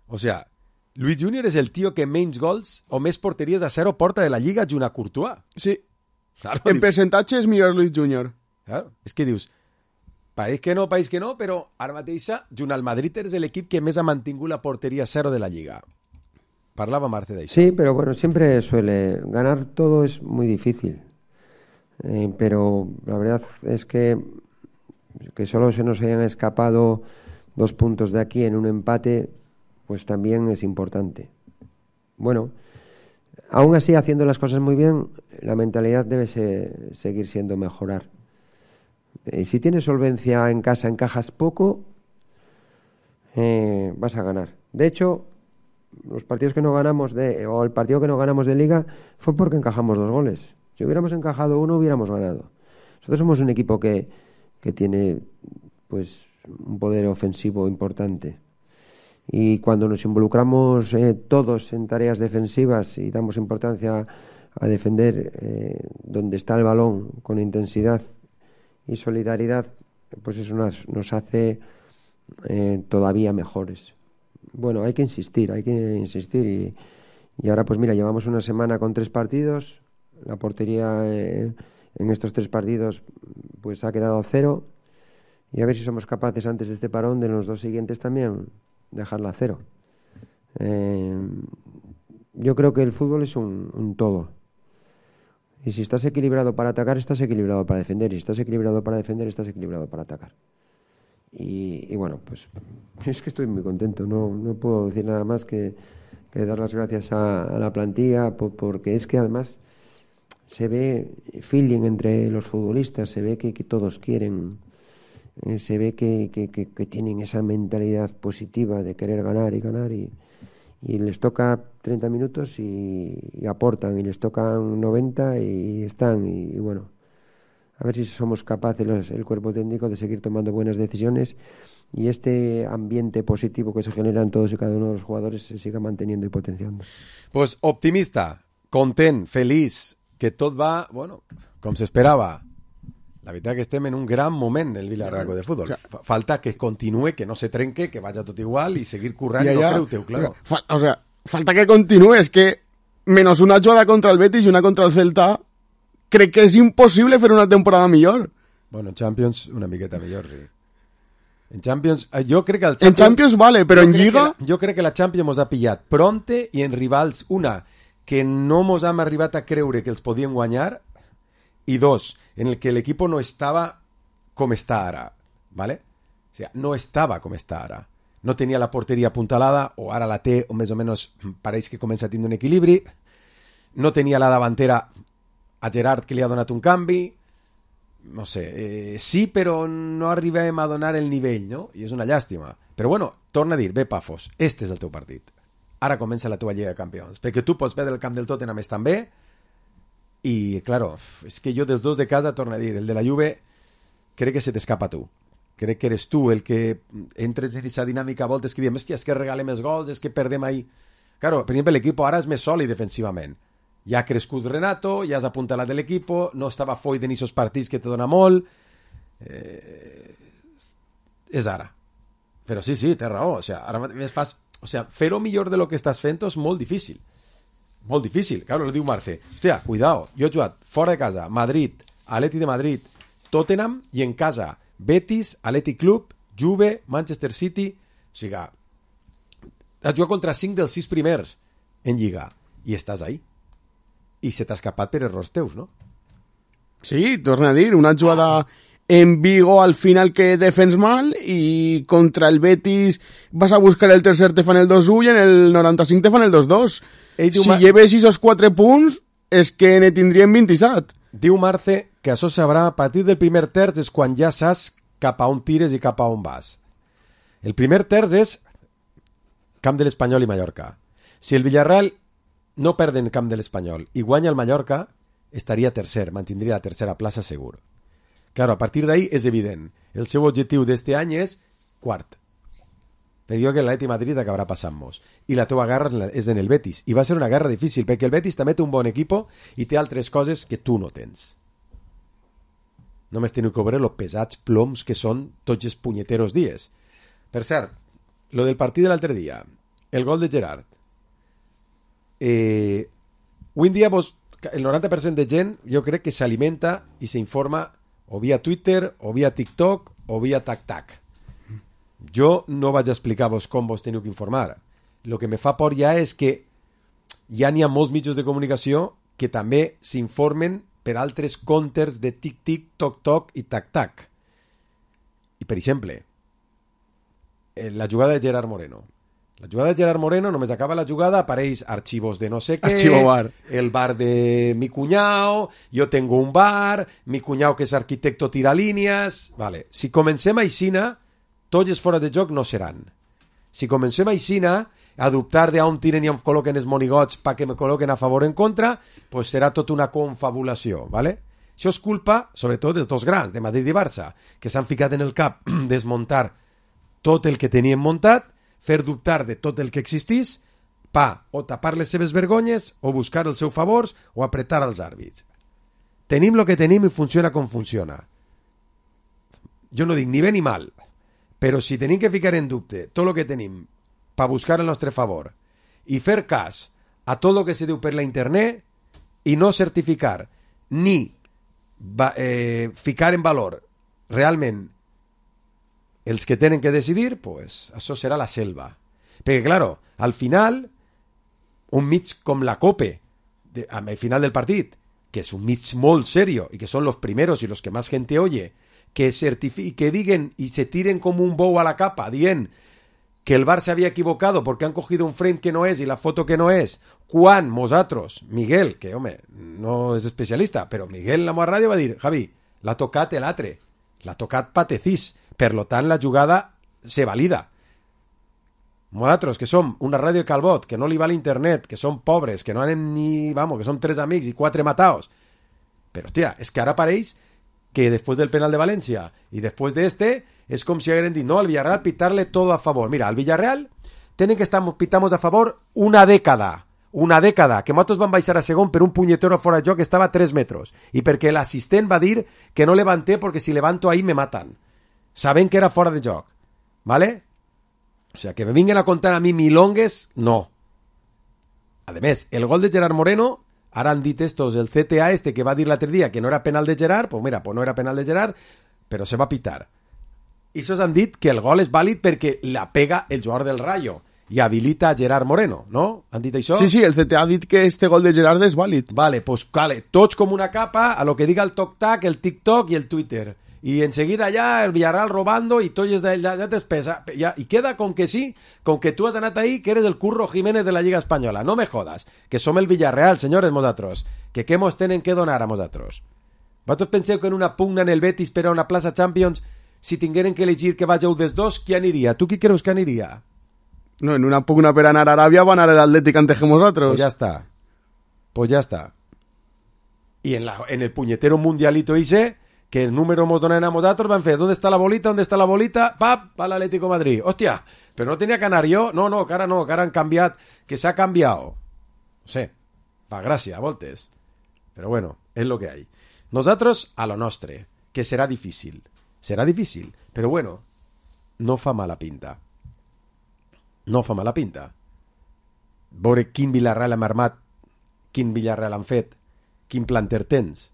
O sea, Luis Junior és el tio que menys gols o més porteries a 0 porta de la Lliga junt a Courtois. Sí. Claro, en percentatge és millor Luis Junior. Claro, és que dius, país que no, però ara mateixa, junt al Madrid és l'equip que més ha mantingut la porteria 0 de la Lliga. Parlava Marce d'això. Sí, pero bueno, siempre suele ganar todo es muy difícil. Pero la verdad es que solo se nos hayan escapado 2 puntos de aquí en un empate, pues también es importante. Bueno, aún así, haciendo las cosas muy bien, la mentalidad debe seguir siendo mejorar. Si tienes solvencia en casa, encajas poco, vas a ganar. De hecho, los partidos que no ganamos o el partido que no ganamos de Liga fue porque encajamos 2 goles. Si hubiéramos encajado 1, hubiéramos ganado. Nosotros somos un equipo que tiene pues un poder ofensivo importante. Y cuando nos involucramos todos en tareas defensivas y damos importancia a defender donde está el balón con intensidad y solidaridad, pues eso nos hace todavía mejores. Bueno, hay que insistir y ahora pues mira, llevamos una semana con 3 partidos, la portería en estos 3 partidos pues ha quedado a 0 y a ver si somos capaces antes de este parón de los 2 siguientes también dejarla a 0. Yo creo que el fútbol es un todo. Y si estás equilibrado para atacar, estás equilibrado para defender. Y si estás equilibrado para defender, estás equilibrado para atacar. Y bueno, pues es que estoy muy contento. No puedo decir nada más que dar las gracias a la plantilla, porque es que además se ve feeling entre los futbolistas, se ve que todos quieren, se ve que tienen esa mentalidad positiva de querer ganar y les toca 30 minutos y aportan, y les tocan 90 y están, y bueno, a ver si somos capaces el cuerpo técnico de seguir tomando buenas decisiones y este ambiente positivo que se genera en todos y cada uno de los jugadores se siga manteniendo y potenciando. Pues optimista, content, feliç, que tot va, bueno, com s'esperava. La veritat que estem en un gran moment el Villarreal de fútbol. O sea, falta que continúe, que no se trenque, que vaya tot igual y seguir currant, no creu-teu, claro. O sea, falta que continúe, es que menos una jugada contra el Betis y una contra el Celta, crec que és impossible fer una temporada millor. Bueno, en Champions una miqueta millor, sí. En Champions, jo crec que el Champions... En Champions vale, però en Lliga... Jo crec que la Champions mos ha pillat pronte i en rivals, una, que no mos hem arribat a creure que els podien guanyar, y 2, en el que el equipo no estaba como está ahora, ¿vale? O sea, no estaba como está ahora. No tenia la porteria apuntalada, o ara la té, o més o menys pareix que comença a tindre un equilibri. No tenia la davantera a Gerard, que li ha donat un canvi. No sé, sí, però no arribem a donar el nivell, no? I és una llàstima. Però bueno, torna a dir, bé, Pafos, este és el teu partit. Ara comença la teva Lliga de Campions. Perquè tu pots veure el camp del Tottenham estan bé, y claro, es que yo dels 2 de casa, torno a dir, el de la Juve crec que se t'escapa tu. Crec que eres tu el que entres en aquesta dinàmica a voltes que diem, hòstia, és que regalem els gols, és que perdem ahí. Claro, per exemple, l'equip ara és més sòlid defensivament. Ja ha crescut Renato, ja has apuntalat de l'equip, no estava Foyt en aquests partits que te dona molt. És ara. Però sí, té raó. O sea, ara més fas... O sea, fer-ho millor de lo que estàs fent és molt difícil. Molt difícil, claro, lo diu Marce. Hòstia, cuidado, jo he jugat fora de casa, Madrid, Atleti de Madrid, Tottenham, i en casa, Betis, Athletic Club, Juve, Manchester City. O sigui, has jugat contra 5 dels 6 primers en Lliga, i estàs ahí. I se t'ha escapat per errors teus, no? Sí, torna a dir, una jugada en Vigo al final que defens mal y contra el Betis vas a buscar el tercer, te fan el 2-1 y en el 95 te fan el 2-2. Si lleves esos 4 punts, és que ne tindríem 27. Diu Marce que això sabrà a partir del primer terç, és quan ja saps cap a on tires i cap a on vas. El primer terç és camp de l'Espanyol i Mallorca. Si el Villarreal no perd en camp de l'Espanyol i guanya el Mallorca, estaria tercer, mantindria la tercera plaça segur. Claro, a partir d'ahí és evident. El seu objectiu d'este any és quart. Però jo que l'Atleti Madrid acabarà passant-nos. I la teva guerra és en el Betis. I va ser una guerra difícil, perquè el Betis també té un bon equip i té altres coses que tu no tens. Només teniu que veure els pesats ploms que són tots els punyeteros dies. Per cert, lo del partit de l'altre dia, el gol de Gerard. Avui en dia el 90% de gent jo crec que s'alimenta i s'informa o via Twitter, o via TikTok, o via TacTac. Jo no vaig a explicar-vos com vos teniu que informar. El que me fa por ja és que ja n'hi ha molts mitjans de comunicació que també s'informen per altres comptes de Tic-Tic, Toc-Toc i Tac-Tac. I, per exemple, la jugada de Gerard Moreno. La jugada de Gerard Moreno, només acaba la jugada, apareix archivos de no sé què, el bar de mi cuñao, yo tengo un bar, mi cuñao que és arquitecto tira línies... Vale. Si comencem aixina, tots els fora de joc no seran. Si comencem aixina, a dubtar d'on tiren i on col·loquen els monigots perquè me col·loquen a favor o en contra, pues serà tota una confabulació, ¿vale? Això és culpa, sobretot, dels dos grans, de Madrid i Barça, que s'han ficat en el cap desmuntar tot el que tenien muntat, fer dubtar de tot el que existís pa o tapar les seves vergonyes o buscar els seus favors o apretar els àrbits. Tenim el que tenim i funciona com funciona. Jo no dic ni bé ni mal, però si tenim que ficar en dubte tot el que tenim per buscar el nostre favor i fer cas a tot el que se diu per la internet i no certificar ni ficar en valor realment els que tenen que decidir, pues això serà la selva. Perquè, claro, al final, un mig com la COPE, al final del partit, que es un mig molt serio y que son los primeros y los que más gente oye, que digan y se tiren como un bow a la capa, dient que el Bar se había equivocado porque han cogido un frame que no es y la foto que no es, quan nosaltres, Miguel, que home, no és especialista, però Miguel en la meva ràdio va dir, Javi, l'ha tocat l'altre, l'ha tocat Patecís, per lo tant la jugada se valida. Nosaltres, que som una ràdio de Calbot, que no li va a l'internet, que som pobres, que no anem ni... Vamos, que som 3 amics i 4 mataos. Però, hòstia, és que ara pareix que després del penal de València i després d'este, és com si hagueren dit, no, al Villarreal pitarle todo a favor. Mira, al Villarreal tenen que pitamos a favor una dècada, que nosaltres van baixar a segon per un punyetero fora de joc que estava a 3 metres, i perquè l'assistent va dir que no levanté perquè si levanto ahí me matan, sabent que era fora de joc, ¿vale? O sea, que me vinguen a contar a mi milongues, no. A més, el gol de Gerard Moreno, ara han dit estos, el CTA que va dir l'altre dia que no era penal de Gerard, pues mira, pues no era penal de Gerard, però se va pitar. I això han dit que el gol és vàlid perquè la pega el jugador del Rayo i habilita a Gerard Moreno, ¿no? ¿Han dit això? Sí, sí, el CTA ha dit que este gol de Gerard és vàlid. Vale, pues vale, tots com una capa a lo que diga el TokTak, el TikTok y el Twitter. Y enseguida ya el Villarreal robando y todo ya te espesa. Ya, y queda con que sí, con que tú has anat ahí, que eres el Curro Jiménez de la Lliga Espanyola. No me jodas, que som el Villarreal, senyores, nosaltres. Que mos tenen que donar a nosaltres? Vosaltres penseu que en una pugna en el Betis per a una plaça Champions, si tingueren que elegir que vageu des dos, qui aniria? Tu qui creus que aniria? No, en una pugna per anar a Aràbia va anar l'Atlètic antes que nosaltres. Pues ya está. Y en el puñetero mundialito ese, que el número nos donen a nosaltres, van fer, ¿dónde está la bolita? ¿Dónde está la bolita? ¡Pap! Va l'Atlético de Madrid. Hòstia, pero no tenía que anar jo. No, que ara han canviat, que s'ha canviado. No sé, va, gràcia, a voltes. Pero bueno, es lo que hay. Nosaltres a lo nostre, que serà difícil. Serà difícil, però bueno, no fa mala pinta. No fa mala pinta. Veure quin Villarreal hem armat, quin Villarreal han fet, quin planter tens,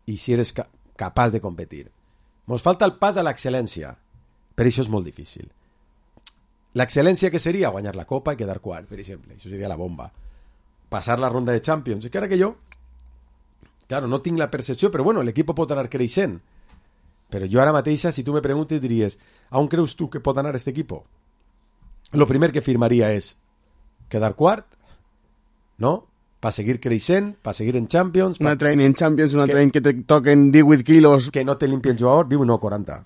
i si eres capaç de competir. Mos falta el pas a l'excel·lència, per això és molt difícil. L'excel·lència que seria guanyar la Copa i quedar quart, per exemple, això seria la bomba. Passar la ronda de Champions, i que ara que jo, claro, no tinc la percepció, però bueno, l'equip pot anar creixent. Però jo ara mateixa, si tu me preguntes, diries, a on creus tu que pot anar aquest equip? Lo primer que firmaria és quedar quart, no? Per seguir creixent, per seguir en Champions. Un altre any en Champions, un altre any que te toquen 18 quilos. Que no te limpien jugador, diu no, 40.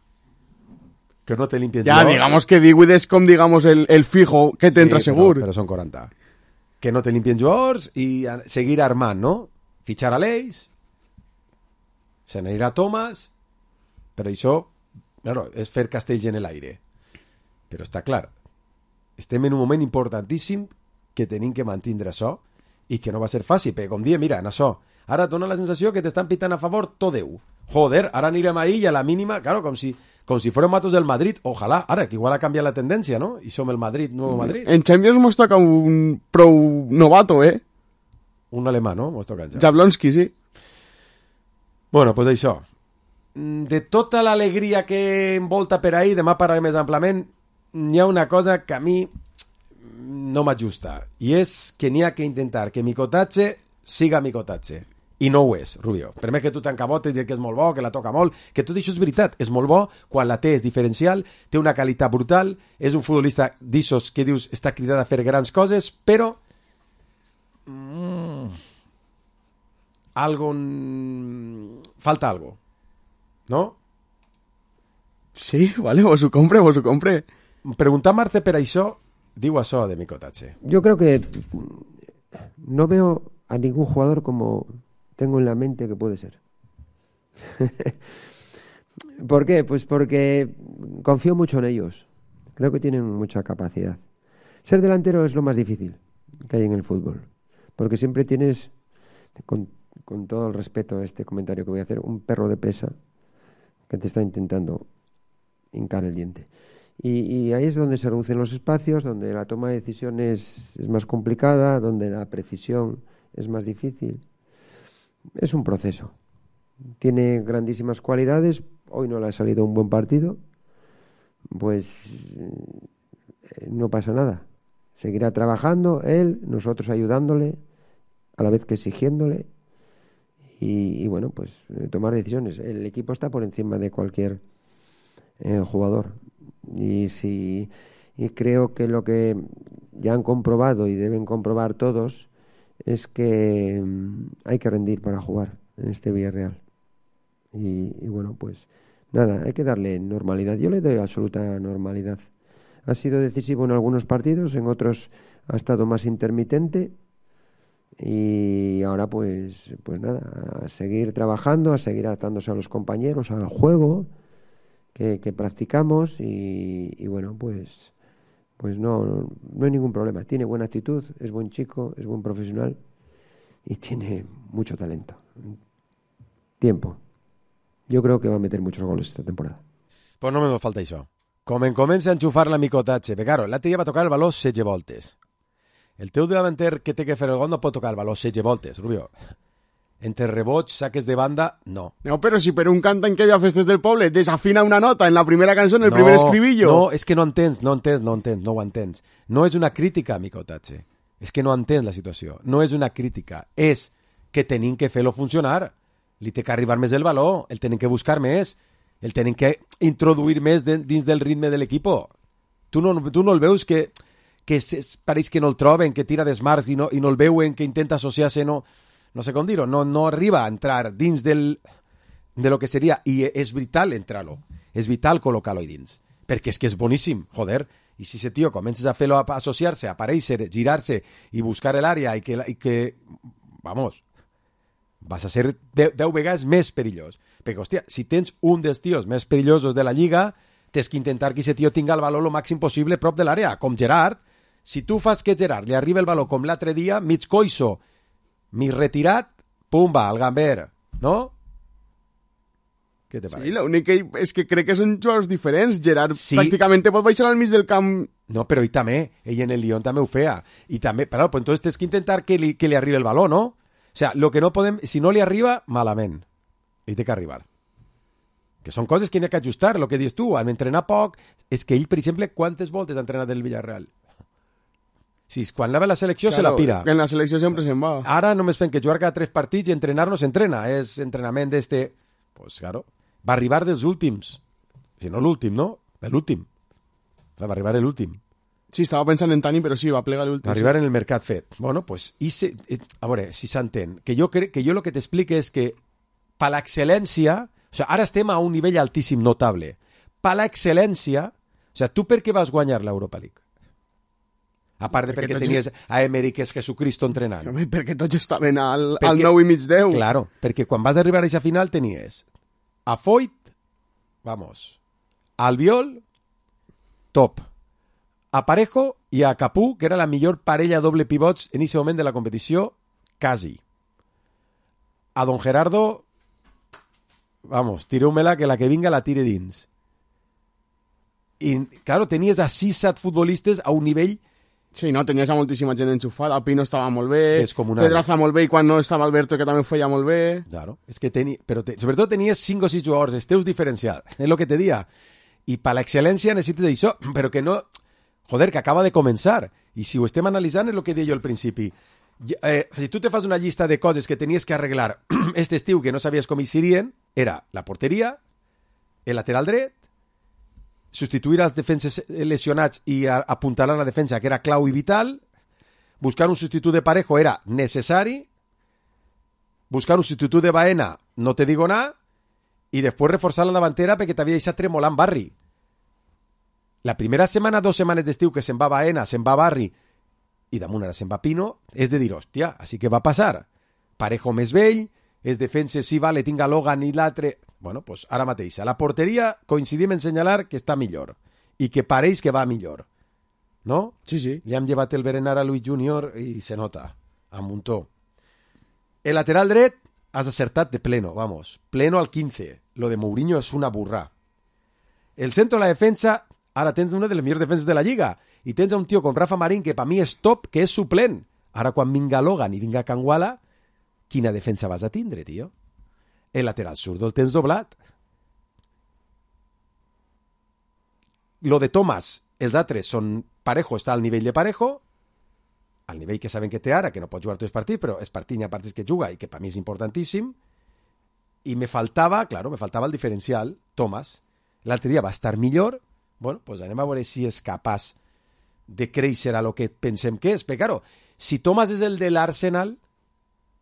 Que no te limpien ya, jugador. Ya, digamos que 18 és com, digamos, el fijo que te entra segur. Però són 40. Que no te limpien jugadors i seguir armant, no? Fitxar a l'Eix, se n'anirà Thomas, però això, claro, és fer castells en l'aire. Però està clar, estem en un moment importantíssim que tenim que mantindre això i que no va ser fàcil, perquè com diem, mira, en això, ara et dona la sensació que t'estan pitant a favor tot Déu. Joder, ara anirem ahí i a la mínima, claro, com si fuérem matos del Madrid, ojalà, ara, que igual ha canviat la tendència, no? I som el Madrid, nuevo Madrid. En Champions mos toca un prou novato, Un alemà, no? Mos toca ja. Jablonski, sí. Bueno, pues això. De tota l'alegria que envolta per ahí, demà parlarem més amplament, hi ha una cosa que a mi no m'ajusta, i és que n'hi ha que intentar que Micotatge siga Micotatge. I no ho és, Rubio. Per més que tu t'encabotes i dius que és molt bo, que la toca molt, que tot això és veritat, és molt bo, quan la té és diferencial, té una qualitat brutal, és un futbolista d'ixos que dius està cridat a fer grans coses, però falta algo, ¿no? Sí, vale, vos ho compre. Preguntar Marce per això, diu això de Micotatge. Yo creo que no veo a ningún jugador como tengo en la mente que puede ser. ¿Por qué? Pues porque confío mucho en ellos. Creo que tienen mucha capacidad. Ser delantero es lo más difícil que hay en el fútbol, porque siempre tienes, con todo el respeto a este comentario que voy a hacer, un perro de presa que te está intentando hincar el diente. Y ahí es donde se reducen los espacios, donde la toma de decisiones es más complicada, donde la precisión es más difícil. Es un proceso. Tiene grandísimas cualidades. Hoy no le ha salido un buen partido. Pues no pasa nada. Seguirá trabajando él, nosotros ayudándole, a la vez que exigiéndole. Y bueno, pues tomar decisiones. El equipo está por encima de cualquier jugador. Y creo que lo que ya han comprobado y deben comprobar todos es que hay que rendir para jugar en este Villarreal. Y bueno, pues nada, hay que darle normalidad. Yo le doy absoluta normalidad. Ha sido decisivo en algunos partidos, en otros ha estado más intermitente. Y ahora pues nada, a seguir trabajando, a seguir adaptándose a los compañeros, al juego que practicamos y bueno, pues no hay ningún problema. Tiene buena actitud, es buen chico, es buen profesional y tiene mucho talento. Tiempo. Yo creo que va a meter muchos goles esta temporada. Pues no me falta això. Com en comença a enxufar la micotatge. Perquè, claro, l'altre dia va tocar el baló 16 voltes. El teu davanter que té que fer el gol no pot tocar el baló 16 voltes, Rubio. Entre rebots, saques de banda, no. No, però si per un cantant que ve a Festes del Poble desafina una nota en la primera cançó, en el primer escribillo. No, és que no ho entens. No és una crítica, micotatge. És que no entens la situació. No és una crítica. És que tenim que fer-lo funcionar. Li té que arribar més el baló, el tenim que buscar més, el tenim que introduir més dins del ritme de l'equip. Tu no el veus que pareix que no el troben, que tira d'esmarts i no el veuen, que intenta associar-se, no sé com dir-ho, no arriba a entrar dins de lo que seria, i és vital entrar-lo, és vital col·locar-lo ahí dins, perquè és que és boníssim, joder, i si ese tio comences a fer-lo associar-se, aparèixer, girar-se i buscar l'àrea i que vamos, vas a ser 10 vegades més perillós, perquè, hòstia, si tens un dels tios més perillosos de la Lliga, tens que intentar que ese tio tinga el valor lo màxim possible prop de l'àrea, com Gerard. Si tu fas que Gerard li arriba el valor com l'altre dia, mig coixo, mig retirat, pumba, al gamber, no? Què te pareix? Sí, l'únic és que crec que són jugadors diferents. Gerard pràcticament pot baixar al mig del camp. No, però ell també, ell en el Lyon també ho feia. I també, però pues entonces tens que intentar que li arribi el valor, no? O sea, lo que no podem, si no li arriba, malament. Ell té que arribar. Que són coses que n'hi ha que ajustar, el que dius tu, en entrenar poc, és que ell, per exemple, quantes voltes ha entrenat el Villarreal? Si quan anava a la selecció se la pira. En la selecció sempre se'n va. Ara només fem que jugar cada 3 partits i entrenar no s'entrena, és entrenament d'este... Pues claro, va arribar dels últims. Si no l'últim, no? L'últim. Va arribar l'últim. Sí, estava pensant en Tani, però sí, va plegar l'últim. Va arribar en el mercat fet. Bueno, pues, a veure, si s'entén. Que jo el que t'explico és que per l'excel·lència, o sea, ara estem a un nivell altíssim, notable. Per l'excel·lència, o sea, tu per què vas guanyar l'Europa League? A part de perquè tenies a Emery, que és Jesucristo entrenant. No, perquè tots estaven al 9 i mig 10. Claro, perquè quan vas arribar a aquesta final tenies a Foyt, vamos, Albiol, top, a Parejo i a Capú, que era la millor parella doble pivots en aquest moment de la competició, quasi. A Don Gerardo, vamos, tireu-me-la, que la que vinga la tire dins. I, claro, tenies a 6-7 futbolistes a un nivell... Sí, no, tenies a moltíssima gent enxufada, Pino estava molt bé, Pedraza molt bé, i quan no estava Alberto, que també ho feia molt bé. Claro, és que però sobretot tenies 5 o 6 jugadors, els teus diferencials, és el que te dia. I per l'excel·lència necessites això, però que no... Joder, que acaba de començar. I si ho estem analitzant és el que deia jo al principi. Si tu te fas una llista de coses que tenies que arreglar este estiu que no sabies com hi serien, era la porteria, el lateral dret, substituir els defenses lesionats i apuntalar la defensa, que era clau i vital, buscar un substitut de Parejo era necessari, buscar un substitut de Baena, no te digo nada, i després reforçar la davantera perquè t'havia deixat tremolant Barri. La primera setmana, 2 setmanes d'estiu que se'n va Baena, se'n va Barri, i damunt ara se'n va Pino, és de dir, hòstia, així que va passar. Parejo més vell, els defenses sí, vale, tinga Logan i l'altre... Bueno, pues ara mateix. A la porteria coincidim en senyalar que està millor i que pareix que va millor. ¿no? Sí. Le han llevat el berenar a Luis Junior i se nota, a muntó. El lateral dret has acertat de pleno, vamos, pleno al 15. Lo de Mourinho és una burrà. El centro de la defensa, ara tens una de les millors defenses de la Lliga, i tens un tio com Rafa Marín, que per mi és top, que és suplent. Ara, quan vinga Logan i vinga Kangwala, quina defensa vas a tindre, tio? El lateral zurdo el tens doblat. Lo de Thomas, els altres són Parejo, està al nivell de Parejo, al nivell que saben que té ara, que no pot jugar tots els partits, però és partit a partits que juga i que per mi és importantíssim. I me faltava el diferencial, Thomas. L'altre dia va estar millor. Bueno, pues anem a veure si és capaç de créixer a lo que pensem que és. Però, claro, si Thomas és el de l'Arsenal,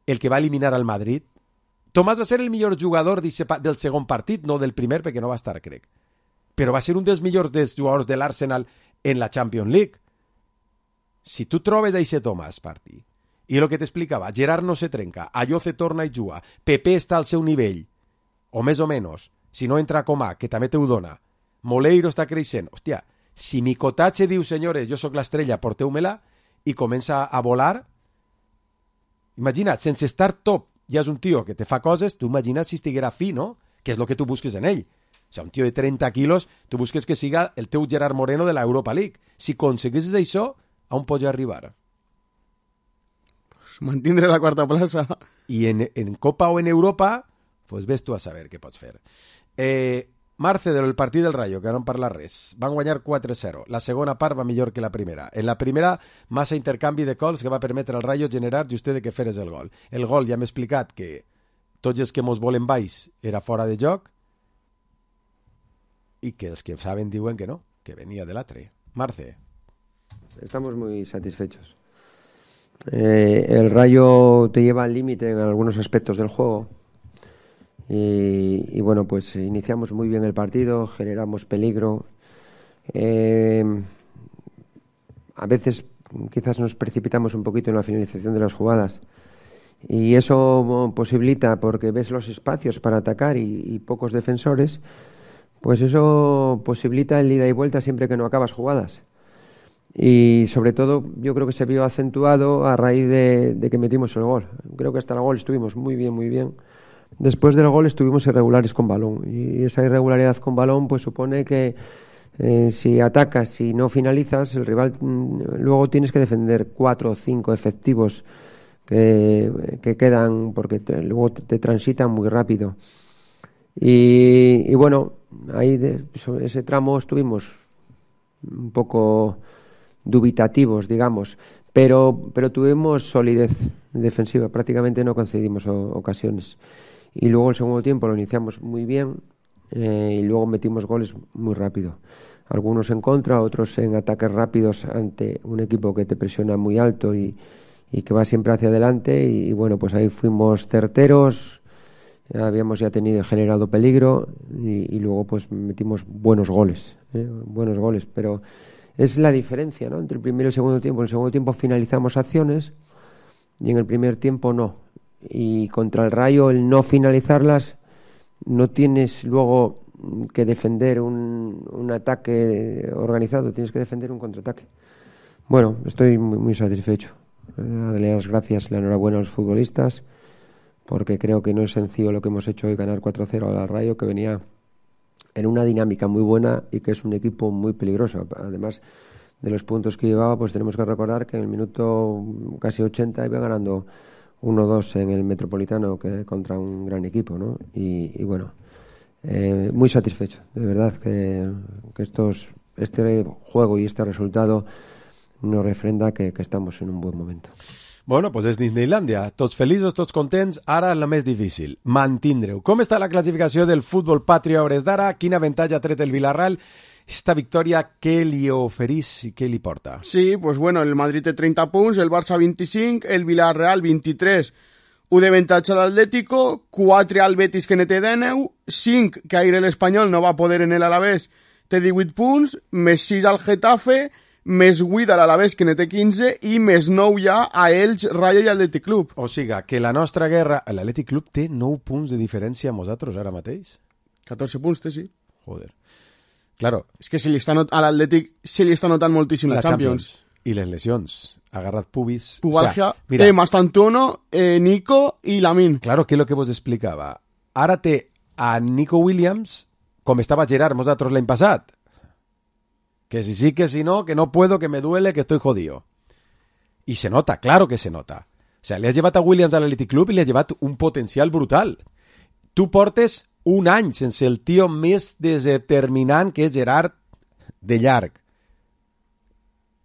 el que va eliminar al Madrid, Thomas va ser el millor jugador del segon partit, no del primer, perquè no va estar, crec. Però va ser un dels millors dels jugadors de l'Arsenal en la Champions League. Si tu trobes a ese Thomas, partit, i el que t'explicava, Gerard no se trenca, Ayoce torna i juga, Pepe està al seu nivell, o més o menys, si no entra Coman, que també te ho dona, Moleiro està creixent, hòstia, si Mikotache diu, senyores, jo sóc l'estrella, porteu-me-la, i comença a volar, imagina't, sense estar top, ja és un tio que te fa coses, tu imagina't si estiguera fi, no? Que és el que tu busques en ell. O sigui, un tio de 30 quilos, tu busques que siga el teu Gerard Moreno de la Europa League. Si aconseguissis això, on pots arribar? Pues mantindre la quarta plaça. I en Copa o en Europa, pues ves tu a saber què pots fer. Marce, del partit del Rayo, que no en parla res. Van guanyar 4-0. La segona part va millor que la primera. En la primera, massa intercanvi de cols que va permetre al Rayo generar just de que feres el gol. El gol ja hem explicat que tots els que mos volen baix era fora de joc i que els que saben diuen que no, que venia de l'altre. Marce. Estamos muy satisfechos. El Rayo te lleva al límite en algunos aspectos del juego. Y bueno, pues iniciamos muy bien el partido, generamos peligro. A veces quizás nos precipitamos un poquito en la finalización de las jugadas. Y eso posibilita, porque ves los espacios para atacar y pocos defensores, pues eso posibilita el ida y vuelta siempre que no acabas jugadas. Y sobre todo yo creo que se vio acentuado a raíz de que metimos el gol. Creo que hasta el gol estuvimos muy bien. Después del gol estuvimos irregulares con balón, y esa irregularidad con balón pues supone que si atacas y no finalizas, el rival luego tienes que defender 4 o 5 efectivos que quedan, porque luego te transitan muy rápido. Y bueno, ahí ese tramo estuvimos un poco dubitativos, digamos, pero tuvimos solidez defensiva, prácticamente no concedimos ocasiones. Y luego el segundo tiempo lo iniciamos muy bien, y luego metimos goles muy rápido. Algunos en contra, otros en ataques rápidos ante un equipo que te presiona muy alto y que va siempre hacia adelante. Y bueno, pues ahí fuimos certeros, habíamos ya generado peligro y luego pues metimos buenos goles, pero es la diferencia, ¿no?, entre el primer y el segundo tiempo. En el segundo tiempo finalizamos acciones y en el primer tiempo no. Y contra el Rayo, el no finalizarlas, no tienes luego que defender un ataque organizado, tienes que defender un contraataque. Bueno, estoy muy satisfecho. Darle las gracias, la enhorabuena a los futbolistas, porque creo que no es sencillo lo que hemos hecho hoy, ganar 4-0 al Rayo, que venía en una dinámica muy buena y que es un equipo muy peligroso. Además de los puntos que llevaba, pues tenemos que recordar que en el minuto casi 80 iba ganando 1-2 en el Metropolitano, que contra un gran equipo, ¿no? Y bueno, muy satisfecho, de verdad, que este juego y este resultado nos refrenda que estamos en un buen momento. Bueno, pues és Disneylandia. Tots feliços, tots contents. Ara la més difícil, mantindre-ho. Com està la classificació del futbol patri a hores d'ara? Quin avantatge ha tret el Villarreal? Esta victòria, què li oferís i què li porta? Sí, pues bueno, el Madrid té 30 punts, el Barça 25, el Villarreal 23. Un d'avantatge a l'Atlético, 4 al Betis, que ne té 19, 5 que ahir l'Espanyol no va poder en l'Alavés, té 18 punts, més 6 al Getafe, més 8 a l'Alavés, que ne té 15, i més 9 ja a Elx, Rayo i Atlètic Club. O sigui, que la nostra guerra... L'Atlètic Club té 9 punts de diferència amb nosaltres ara mateix? 14 punts té, sí. Joder. Claro. És que a l'Atlètic se li està notant moltíssim la Champions. I les lesions. Agarrat pubis. Pubalgia, o sea, mira, té Mastantuono, Nico i Lamin. Claro, que és lo que vos explicava. Ara té a Nico Williams com estava Gerard nosaltres l'any passat. Que si sí, que si no, que no puedo, que me duele, que estoy jodido. Y se nota, claro que se nota. O sea, li has llevat a Williams a l'Athletic Club i li has llevat un potencial brutal. Tu portes un any sense el tio més determinant que és Gerard de llarg.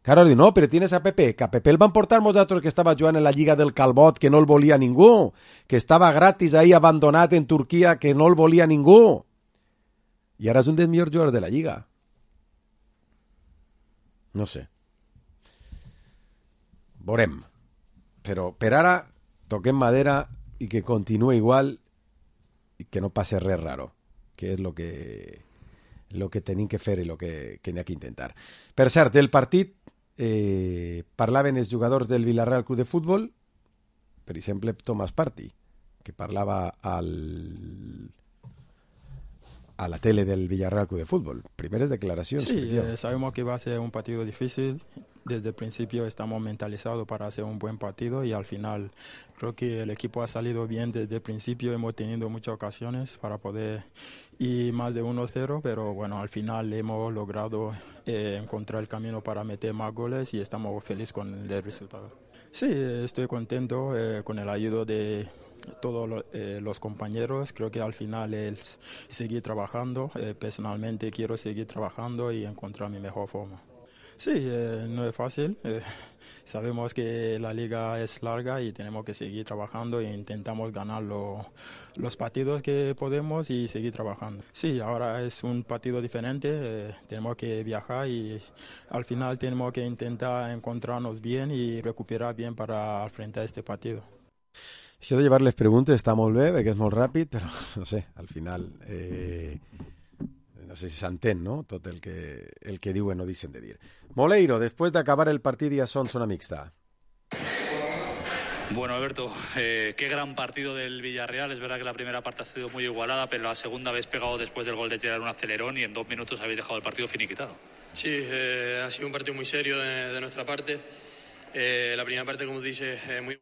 Claro, diu, no, però tienes a Pepe, que a Pepe el van portar nosaltres que estava jugant en la Lliga del Calbot, que no el volia ningú, que estava gratis ahí abandonat en Turquia, que no el volia ningú. I ara és un dels millors jugadors de la Lliga. No sé. Veurem. Però per ara toquem madera i que continue igual i que no passe res raro, que és lo que tenim que fer i lo que n'hi ha que intentar. Per cert, del partit parlaven els jugadors del Villarreal Club de Futbol, per exemple Tomàs Partey, que parlava a la tele del Villarreal Club de Fútbol. Primeras declaraciones. Sí, sabemos que va a ser un partido difícil. Desde el principio estamos mentalizados para hacer un buen partido y al final creo que el equipo ha salido bien desde el principio. Hemos tenido muchas ocasiones para poder ir más de 1-0, pero bueno, al final hemos logrado encontrar el camino para meter más goles y estamos felices con el resultado. Sí, estoy contento con el ayuda de todos los compañeros. Creo que al final es seguir trabajando. Personalmente quiero seguir trabajando y encontrar mi mejor forma. Sí, no es fácil. Sabemos que la liga es larga y tenemos que seguir trabajando e intentamos ganar los partidos que podemos y seguir trabajando. Sí, ahora es un partido diferente. Tenemos que viajar y al final tenemos que intentar encontrarnos bien y recuperar bien para enfrentar este partido. Això de llevar-les preguntes està molt bé, perquè és molt ràpid, però no sé, al final no sé si s'entén, ¿no? Tot el que diuen o dicen de dir. Moleiro, después de acabar el partido ya son zona mixta. Bueno, Alberto, qué gran partido del Villarreal. Es verdad que la primera parte ha sido muy igualada, pero la segunda habéis pegado después del gol de Gerard un acelerón y en 2 minutos habéis dejado el partido finiquitado. Sí, ha sido un partido muy serio de nuestra parte. La primera parte, como dices, muy...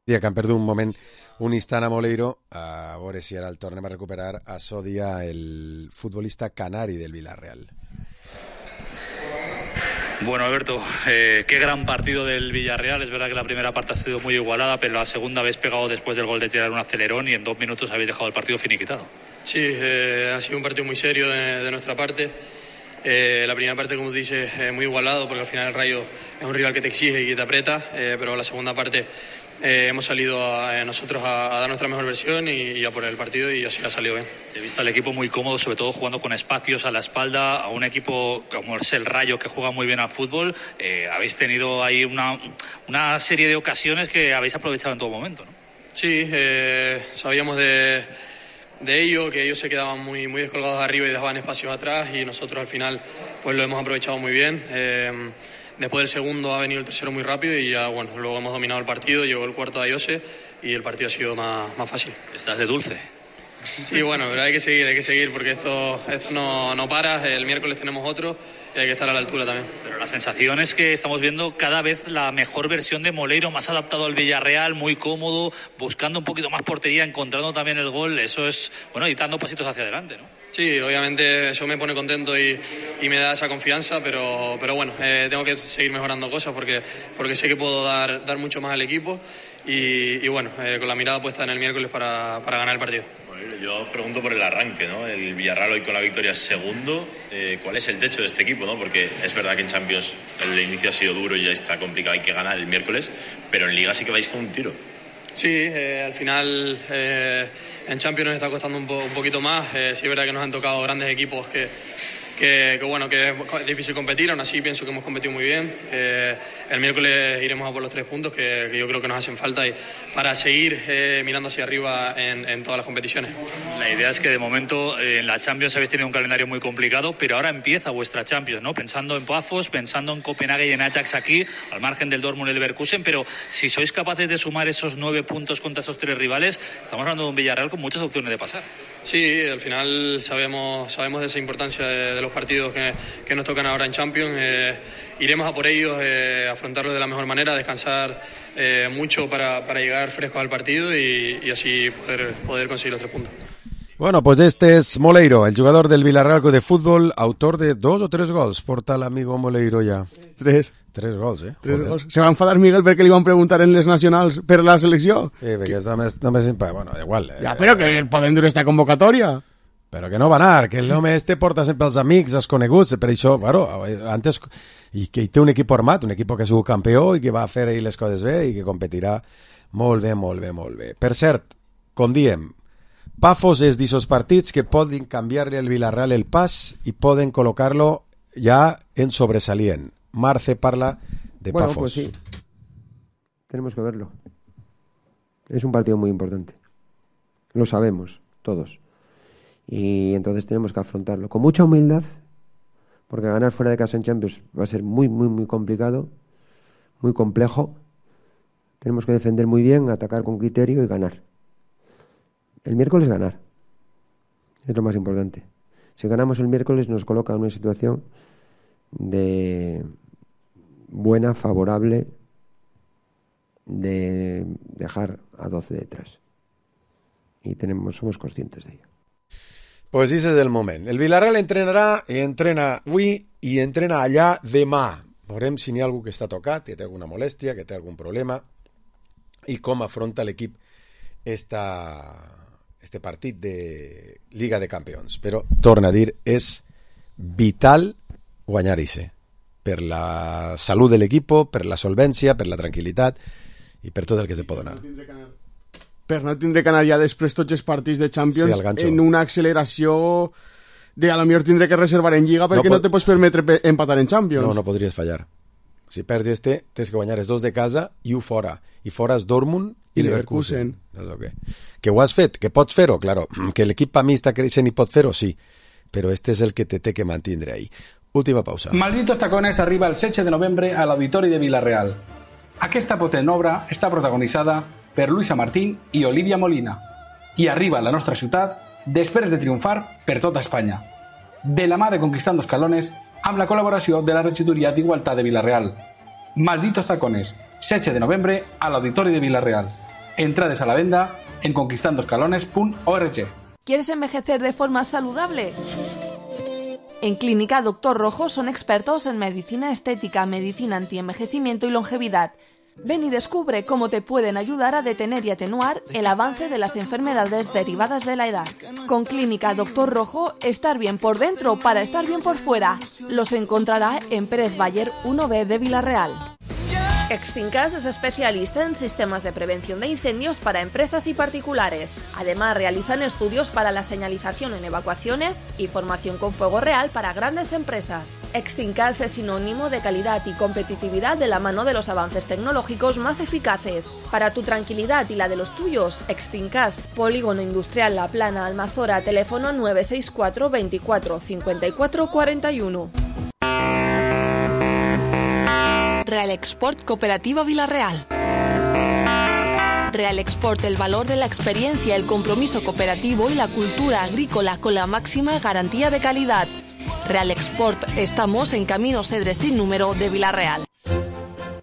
Que han perdut un moment, un instant a Moleiro, a veure si ara el tornem a recuperar a Sodia, el futbolista canari del Villarreal. Bueno, Alberto, qué gran partido del Villarreal. Es verdad que la primera parte ha sido muy igualada, pero la segunda habéis pegado después del gol de Gerard un acelerón y en 2 minutos habéis dejado el partido finiquitado. Sí, ha sido un partido muy serio de nuestra parte. La primera parte, como dices, muy igualado, porque al final el Rayo es un rival que te exige y que te aprieta, pero la segunda parte hemos salido nosotros a dar nuestra mejor versión y a por el partido, y así ha salido bien. Se ha visto al equipo muy cómodo, sobre todo jugando con espacios a la espalda, a un equipo como es el Rayo, que juega muy bien al fútbol. Habéis tenido ahí una serie de ocasiones que habéis aprovechado en todo momento, ¿no? Sí, sabíamos de ello, que ellos se quedaban muy descolgados arriba y dejaban espacios atrás, y nosotros al final pues lo hemos aprovechado muy bien. Después del segundo ha venido el tercero muy rápido y ya, bueno, luego hemos dominado el partido, llegó el cuarto de Ayose y el partido ha sido más fácil. ¿Estás de dulce? Sí, bueno, pero hay que seguir porque esto no para. El miércoles tenemos otro y hay que estar a la altura también. Pero la sensación es que estamos viendo cada vez la mejor versión de Moleiro, más adaptado al Villarreal, muy cómodo, buscando un poquito más portería, encontrando también el gol. Eso es, bueno, y dando pasitos hacia adelante, ¿no? Sí, obviamente eso me pone contento y me da esa confianza, pero bueno, tengo que seguir mejorando cosas porque sé que puedo dar mucho más al equipo y bueno, con la mirada puesta en el miércoles para ganar el partido. Yo pregunto por el arranque, ¿no? El Villarreal hoy con la victoria es segundo. ¿Cuál es el techo de este equipo, no? Porque es verdad que en Champions el inicio ha sido duro y ya está complicado, hay que ganar el miércoles, pero en Liga sí que vais con un tiro. Sí, al final en Champions nos está costando un poquito más. Sí es verdad que nos han tocado grandes equipos que bueno, que es difícil competir. Aún así pienso que hemos competido muy bien. El miércoles iremos a por los 3 puntos que yo creo que nos hacen falta para seguir mirando hacia arriba en todas las competiciones. La idea es que de momento en la Champions habéis tenido un calendario muy complicado, pero ahora empieza vuestra Champions, ¿no? Pensando en Pafos, pensando en Copenhague y en Ajax aquí, al margen del Dortmund y el Leverkusen, pero si sois capaces de sumar esos 9 puntos contra esos 3 rivales, estamos hablando de un Villarreal con muchas opciones de pasar. Sí, al final sabemos de esa importancia de los partidos que nos tocan ahora en Champions. Iremos a por ellos, afrontarlos de la mejor manera, descansar mucho para llegar frescos al partido y así poder conseguir los 3 puntos. Bueno, pues este es Moleiro, el jugador del Villarreal de fútbol, autor de 2 o 3 gols. Porta l'amigo Moleiro ja. 3 gols, 3 gols. Se va enfadar Miguel perquè li van preguntar en les nacionals per la selecció. Sí, perquè només bueno, igual. Ja, però que poden dur esta convocatòria. Però que no va anar, que l'home este porta sempre els amics, els coneguts, per això, bueno, antes, i que té un equip format, un equip que ha sigut campió i que va fer ahir les coses bé i que competirà molt bé, molt bé, molt bé. Per cert, com diem, Pafos és d'aquests partits que poden canviar-li al Villarreal el pas i poden col·locar-lo ja en sobresalient. Marce parla de Pafos. Pues sí, tenemos que verlo. Es un partido muy importante. Lo sabemos, todos. Y entonces tenemos que afrontarlo con mucha humildad, porque ganar fuera de casa en Champions va a ser muy, muy, muy complicado, muy complejo. Tenemos que defender muy bien, atacar con criterio y ganar. El miércoles ganar. Es lo más importante. Si ganamos el miércoles nos coloca en una situación de buena, favorable, de dejar a 12 detrás. Y somos conscientes de ello. Pues ese és el moment. El Villarreal entrenarà i entrena avui i entrena allà demà. Veurem si n'hi ha algú que està tocat, que té alguna molèstia, que té algun problema i com afronta l'equip este partit de Liga de Campions. Però, torna a dir, és vital guanyar-hi per la salut de l'equip, per la solvència, per la tranquil·litat i per tot el que se pot donar. Per no tindre que anar ja després tots els partits de Champions en una acceleració de a lo millor tindre que reservar en Lliga perquè no te pots permetre empatar en Champions. No podries fallar. Si perds tens que guanyar els 2 de casa i 1 fora. I fora és Dortmund i Leverkusen. Que ho has fet, que pots fer-ho, claro. Que l'equip a mi està creixent i pot fer-ho, sí. Però este és el que té que mantindre ahí. Última pausa. Malditos Tacones arriba el 16 de novembre a l'Auditori de Vila-real. Aquesta potent obra està protagonitzada per Luisa Martín i Olivia Molina i arriba a la nostra ciutat després de triomfar per tota Espanya. De la mà de Conquistando Escalones amb la col·laboració de la Regidoria d'Igualtat de Vila-real. Malditos Tacones, 16 de novembre a l'Auditori de Vila-real. Entrades a la venda en conquistandoscalones.org. ¿Quieres envejecer de forma saludable? En Clínica Dr. Rojo son expertos en medicina estética, medicina antienvejecimiento y longevidad. Ven y descubre cómo te pueden ayudar a detener y atenuar el avance de las enfermedades derivadas de la edad. Con Clínica Dr. Rojo, estar bien por dentro para estar bien por fuera. Los encontrará en Pérez Bayer 1B de Vila-real. Extincas es especialista en sistemas de prevención de incendios para empresas y particulares. Además, realizan estudios para la señalización en evacuaciones y formación con fuego real para grandes empresas. Extincas es sinónimo de calidad y competitividad de la mano de los avances tecnológicos más eficaces. Para tu tranquilidad y la de los tuyos, Extincas, Polígono Industrial La Plana, Almazora, teléfono 964 24 54 41. Real Export Cooperativa Vila-real. Real Export, el valor de la experiencia, el compromiso cooperativo y la cultura agrícola con la máxima garantía de calidad. Real Export, estamos en Camino Cedre sin número de Vila-real.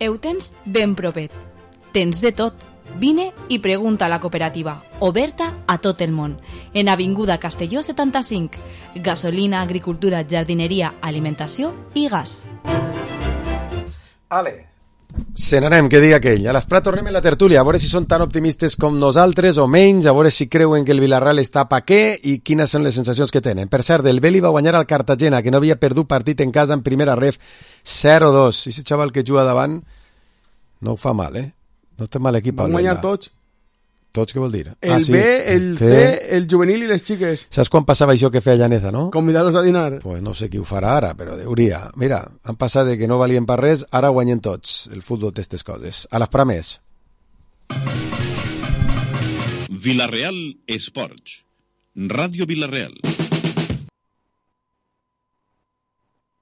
Ho tens ben propet. Tens de tot. Vine i pregunta a la cooperativa, oberta a tot el món. En Avinguda Castelló 75. Gasolina, agricultura, jardineria, alimentació i gas. Ale, se n'anem, que diga aquell. A l'Esprat tornem en la tertúlia, a veure si són tan optimistes com nosaltres o menys, a veure si creuen que el Villarreal està pa què i quines són les sensacions que tenen. Per cert, el Beli va guanyar al Cartagena, que no havia perdut partit en casa en primera ref, 0-2. I ese xaval que juga davant no ho fa mal, No té mal equip. Van guanyar tots. Tots què vol dir? El B, el C, el juvenil i les xiques. Saps quan passava això que feia Llaneza, no? Convidar-los a dinar. Pues no sé qui ho farà ara, però hauria. Mira, han passat de que no valien per res, ara guanyen tots. El futbol té aquestes coses. A l'esperar més. Vilareal Esports. Ràdio Vilareal.